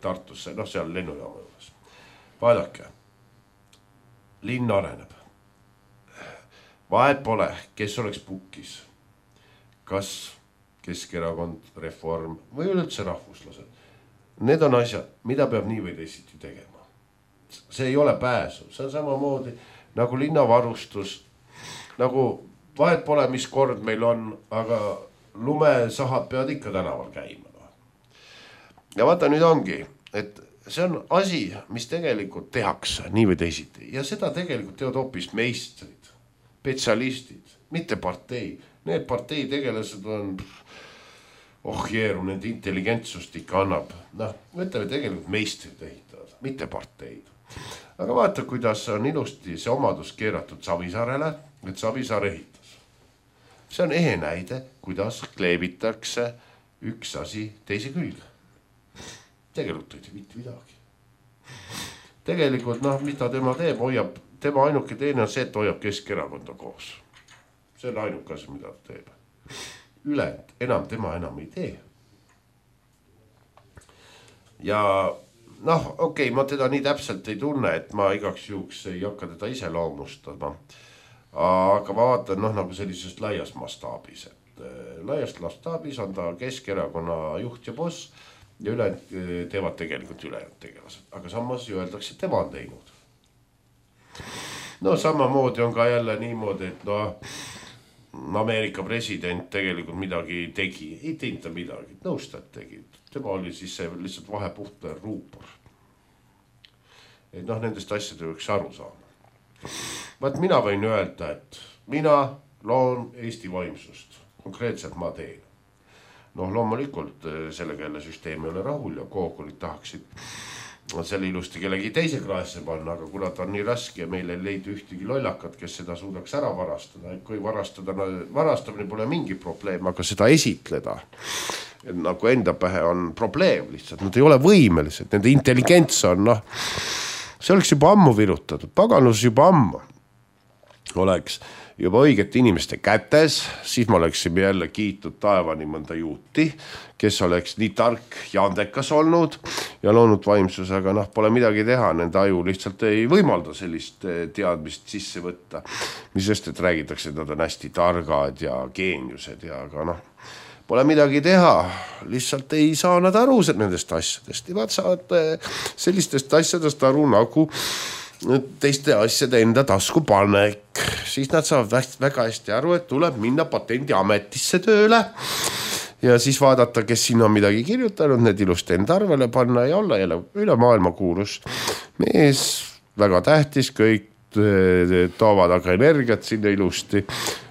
Tartusse, noh seal lennujaama juures. Vaadake, linn areneb. Vahet pole, kes oleks pukis. Kas Keskerakond, Reform või üldse rahvuslased. Need on asjad, mida peab nii või teisiti tegema. See ei ole pääsu, see on samamoodi nagu linnavarustus, nagu vahet pole, mis kord meil on, aga lumesahad peavad ikka tänaval käima. Ja vaata nüüd ongi, et see on asi, mis tegelikult tehakse nii või teisiti ja seda tegelikult teevad hoopis meistrid, spetsialistid, mitte partei. Need partei tegelased on, oh jeeru, nende intelligentsust ikka annab. Noh, mõtleme tegelikult meistrid ehitavad, mitte parteid. Aga vaata, kuidas on ilusti see omadus keeratud Savisaarele, et Savisaar ehitas. See on ehe näide, kuidas kleebitakse üks asi teise külge. Tegelikult ei mitte midagi. Tegelikult, noh, mida tema teeb, hoiab, tema ainuke teine on see, et hoiab Keskerakonda koos. See on ainuke asi, mida ta teeb. Ülejäänud, enam tema enam ei tee. Ja noh, okei, okay, ma teda nii täpselt ei tunne, et ma igaks juhuks ei hakka teda ise loomustama. Aga ma vaatan, noh, nagu sellisest laias mastaabis. Et laiast mastaabis on ta Keskerakonna juht ja boss ja ülejäänud teevad tegelikult ülejäänud tegelased. Aga samas öeldakse, et tema on teinud. No samamoodi on ka jälle niimoodi, et no Ameerika president tegelikult midagi tegi. Ei teinud ta midagi, nõustajad tegi. Tema oli siis see lihtsalt vahepuhta ruupor. Et noh, nendest asjade võiks aru saama. Vaat mina võin öelda, et mina loon Eesti vaimsust. Konkreetselt ma teen. Noh, loomulikult sellega jälle süsteem ei ole rahul ja Google'id tahaksid selle ilusti kellegi teise kraesse panna, aga kuna ta on nii raske ja meil ei leidu ühtegi lollakat, kes seda suudaks ära varastada. Et kui varastada, varastamine pole mingi probleem, aga seda esitleda nagu enda pähe on probleem lihtsalt. Nad ei ole võimelised, nende intelligents on, noh, see oleks juba ammu virutatud, paganus juba ammu oleks juba õigete inimeste kätes, siis ma oleksin jälle kiitud taevani mõnda juuti, kes oleks nii tark ja andekas olnud ja loonud vaimsus, aga noh, pole midagi teha, nende aju lihtsalt ei võimalda sellist teadmist sisse võtta, mis just, et räägitakse, et nad on hästi targad ja geeniused ja aga noh, pole midagi teha, lihtsalt ei saa nad aru nendest asjadest, nad saavad sellistest asjadest aru nagu teiste asjade enda tasku panek, siis nad saavad väga hästi aru, et tuleb minna patendiametisse tööle ja siis vaadata, kes siin on midagi kirjutanud, need ilusti enda arvele panna ja olla jälle üle maailma kuulus mees, väga tähtis, kõik toovad aga energiat sinna ilusti,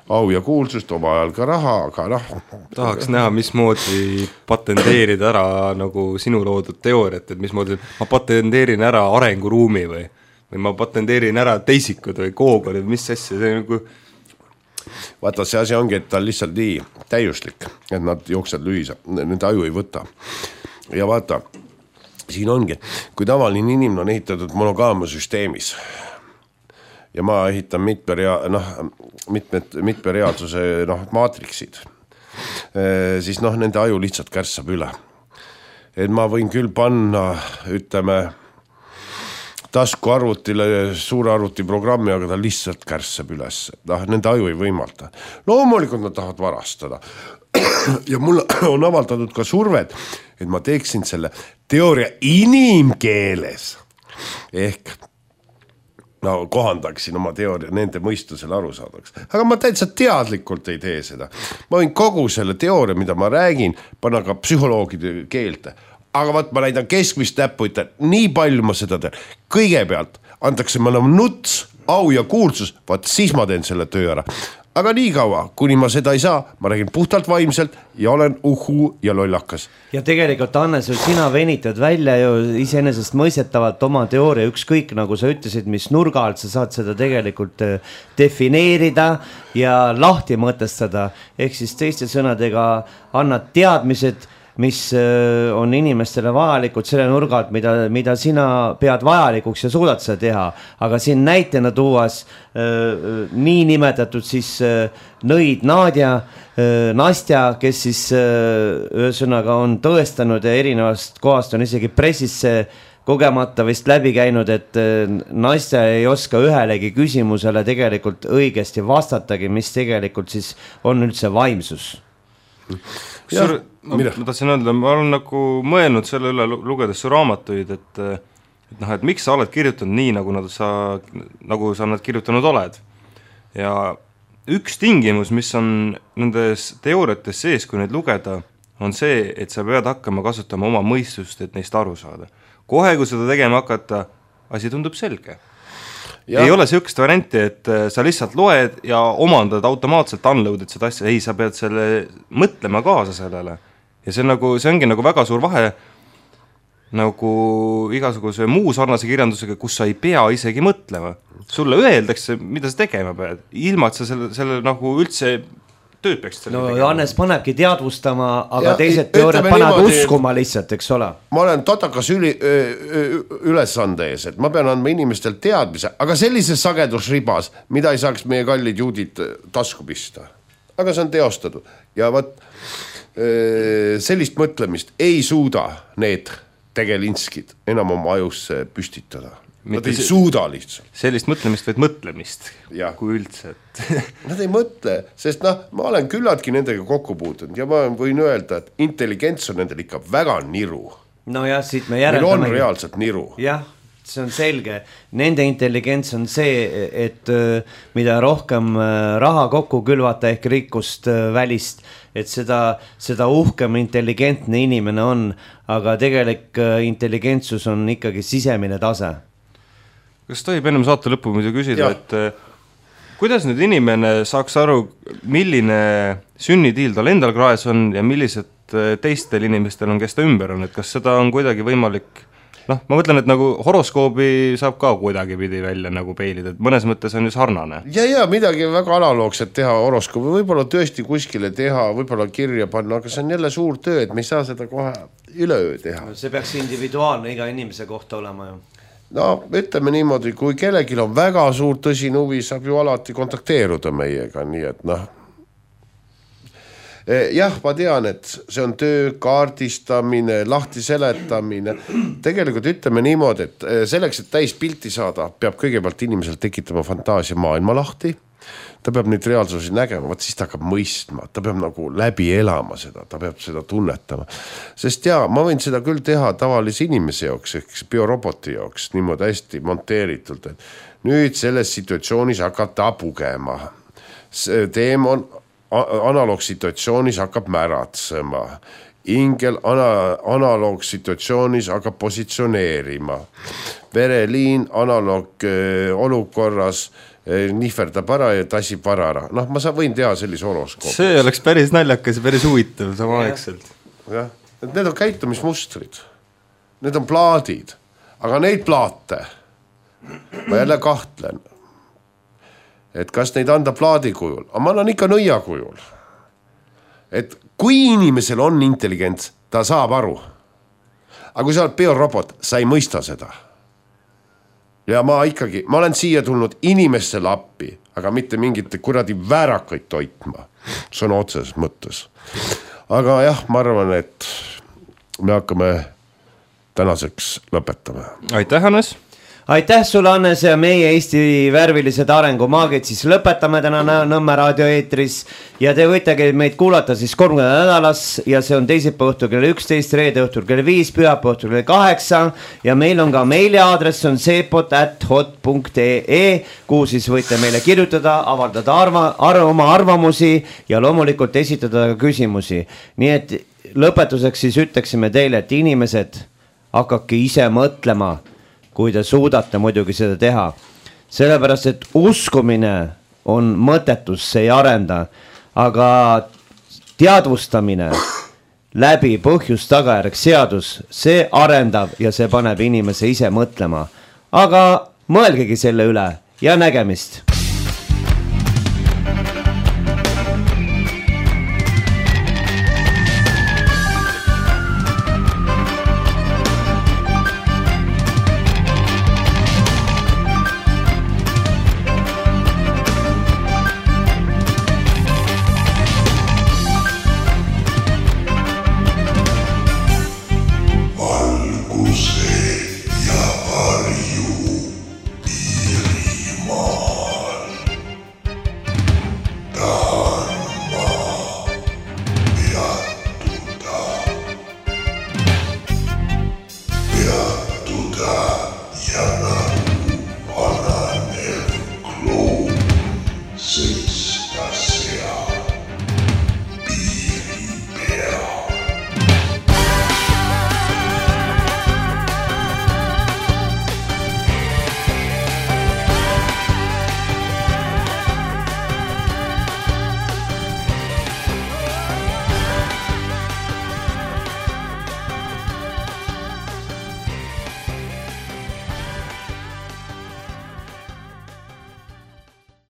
au ja kuulsust, oma ajal ka raha, aga noh. Tahaks näha, mismoodi patenteerida ära nagu sinu loodud teooriat, et mismoodi ma patenteerin ära arenguruumi või või ma patenteerin ära teisikud või koogod, mis asja, see nagu... Vaata, see asi ongi, et ta on lihtsalt nii täiuslik, et nad jooksed lühisa, nende aju ei võta. Ja vaata, siin ongi, kui tavaline inimene on ehitatud monogaamusüsteemis ja ma ehitan mitme, rea, noh, mitmed, mitme reaalsuse noh, maatriksid, siis noh, nende aju lihtsalt kärssab üle. Et ma võin küll panna, ütleme, tasku arvutile suure arvuti programmi, aga ta lihtsalt kärssab üles. Noh, nende aju ei võimalda. Loomulikult nad tahavad varastada. Ja mul on avaldatud ka surved, et ma teeksin selle teooria inimkeeles. Ehk no, kohandaksin oma teooria nende mõistusele aru saadaks. Aga ma täitsa teadlikult ei tee seda. Ma võin kogu selle teooria, mida ma räägin, panna ka psühholoogide keelte. Aga vaat ma näidan keskmist näppu, ütlen, nii palju ma seda teen. Kõigepealt antakse ma enam nuts, au ja kuulsus, vaat siis ma teen selle töö ära. Aga nii kaua, kuni ma seda ei saa, ma räägin puhtalt vaimselt ja olen uhu ja lollakas. Ja tegelikult, Hannes, sina venitad välja ju iseenesest mõistetavalt oma teooria, ükskõik nagu sa ütlesid, mis nurga alt sa saad seda tegelikult defineerida ja lahti mõtestada. Ehk siis teiste sõnadega annad teadmised, mis on inimestele vajalikud selle nurgalt, mida, mida sina pead vajalikuks ja suudad seda teha. Aga siin näitena tuuas äh, nii nimetatud siis äh, nõid Nadja, äh, Nastja, kes siis äh, ühesõnaga on tõestanud ja erinevast kohast on isegi pressisse kogemata vist läbi käinud, et äh, Nastja ei oska ühelegi küsimusele tegelikult õigesti vastatagi, mis tegelikult siis on üldse vaimsus. Sur, ma, ma tahtsin öelda, ma olen nagu mõelnud selle üle lugedes su raamatuid, et, et, noh, et miks sa oled kirjutanud nii, nagu, nad sa, nagu sa nad kirjutanud oled. Ja üks tingimus, mis on nendes teooriates sees, kui neid lugeda, on see, et sa pead hakkama kasutama oma mõistust, et neist aru saada. Kohe, kui seda tegema hakata, asi tundub selge. Ja. Ei ole sellist varianti, et sa lihtsalt loed ja omandad automaatselt unloaded seda asja, ei, sa pead selle mõtlema kaasa sellele. Ja see, nagu, see ongi nagu väga suur vahe nagu igasuguse muu sarnase kirjandusega, kus sa ei pea isegi mõtlema. Sulle öeldakse, mida sa tegema pead, ilma et sa selle, selle nagu üldse tööd peaksid. No Johannes panebki teadvustama, aga ja, teised teooriad panevad uskuma lihtsalt, eks ole. Ma olen totakas üli, ülesande ees, et ma pean andma inimestel teadmise, aga sellises sagedusribas, mida ei saaks meie kallid juudid tasku pista. Aga see on teostatud. Ja vaat sellist mõtlemist ei suuda need tegelinskid enam oma ajusse püstitada. Nad ei suuda lihtsalt. Sellist mõtlemist või mõtlemist, ja. Kui üldse. Et... Nad ei mõtle, sest noh, ma olen küllaltki nendega kokku puutunud ja ma võin öelda, et intelligents on nendel ikka väga niru. No jah, siit me järeldame. Meil on reaalselt niru. Jah, see on selge. Nende intelligents on see, et mida rohkem raha kokku külvata ehk rikkust välist, et seda, seda uhkem intelligentne inimene on, aga tegelik intelligentsus on ikkagi sisemine tase. Kas tohib ennem saate lõppu muidu küsida, ja. Et kuidas nüüd inimene saaks aru, milline sünnitiil tal endal kraes on ja millised teistel inimestel on, kes ta ümber on, et kas seda on kuidagi võimalik, noh, ma mõtlen, et nagu horoskoobi saab ka kuidagi pidi välja nagu peilida, et mõnes mõttes on ju sarnane. Ja, ja midagi väga analoogset teha horoskoobi, võib-olla tõesti kuskile teha, võib-olla kirja panna, aga see on jälle suur töö, et me ei saa seda kohe üleöö teha. See peaks individuaalne iga inimese kohta olema ju. no ütleme niimoodi, kui kellelgi on väga suur tõsine huvi, saab ju alati kontakteeruda meiega, nii et noh. Jah, ma tean, et see on töö kaardistamine, lahti seletamine. Tegelikult ütleme niimoodi, et selleks, et täis pilti saada, peab kõigepealt inimesel tekitama fantaasia maailma lahti. Ta peab neid reaalsusi nägema, vaat siis ta hakkab mõistma, ta peab nagu läbi elama seda, ta peab seda tunnetama. Sest jaa, ma võin seda küll teha tavalise inimese jooks, ehk bioroboti jooks, niimoodi hästi monteeritult, et nüüd selles situatsioonis hakkab ta pugema. See teem on analoogsituatsioonis hakkab märatsema. Ingel ana- analoogsituatsioonis hakkab positsioneerima. Vereliin analoog olukorras nihverdab ära ja tassib varara. Noh, ma võin teha sellise horoskoopi. See oleks päris naljakas ja päris huvitav samaaegselt. Jah, need on käitumismustrid. Need on plaadid. Aga neid plaate ma jälle kahtlen. Et kas neid anda plaadi kujul? Aga ma annan ikka nõia kujul. Et kui inimesel on intelligents, ta saab aru. Aga kui sa oled biorobot, sa ei mõista seda. Ja ma ikkagi, ma olen siia tulnud inimestele appi, aga mitte mingite kuradi väärakaid toitma. See on otseses mõttes. Aga jah, ma arvan, et me hakkame tänaseks lõpetama. Aitäh, Hannes! Aitäh sulle, Hannes, ja meie Eesti värvilised arengumaagid siis lõpetame täna Nõmme raadio eetris ja te võitegi meid kuulata siis kolmkümmend nädalas ja see on teisipäeva õhtul kell üksteist, reede õhtul kell viis, pühapäeva õhtul kell kaheksa ja meil on ka meiliaadress on seepot at hot punkt ee, kuhu siis võite meile kirjutada, avaldada arva, arv, oma arvamusi ja loomulikult esitada küsimusi. Nii et lõpetuseks siis ütleksime teile, et inimesed hakake ise mõtlema, kui te suudate muidugi seda teha. Sellepärast, et uskumine on mõttetus, see ei arenda, aga teadvustamine läbi põhjus tagajärg seadus, see arendab ja see paneb inimese ise mõtlema. Aga mõelgegi selle üle ja nägemist!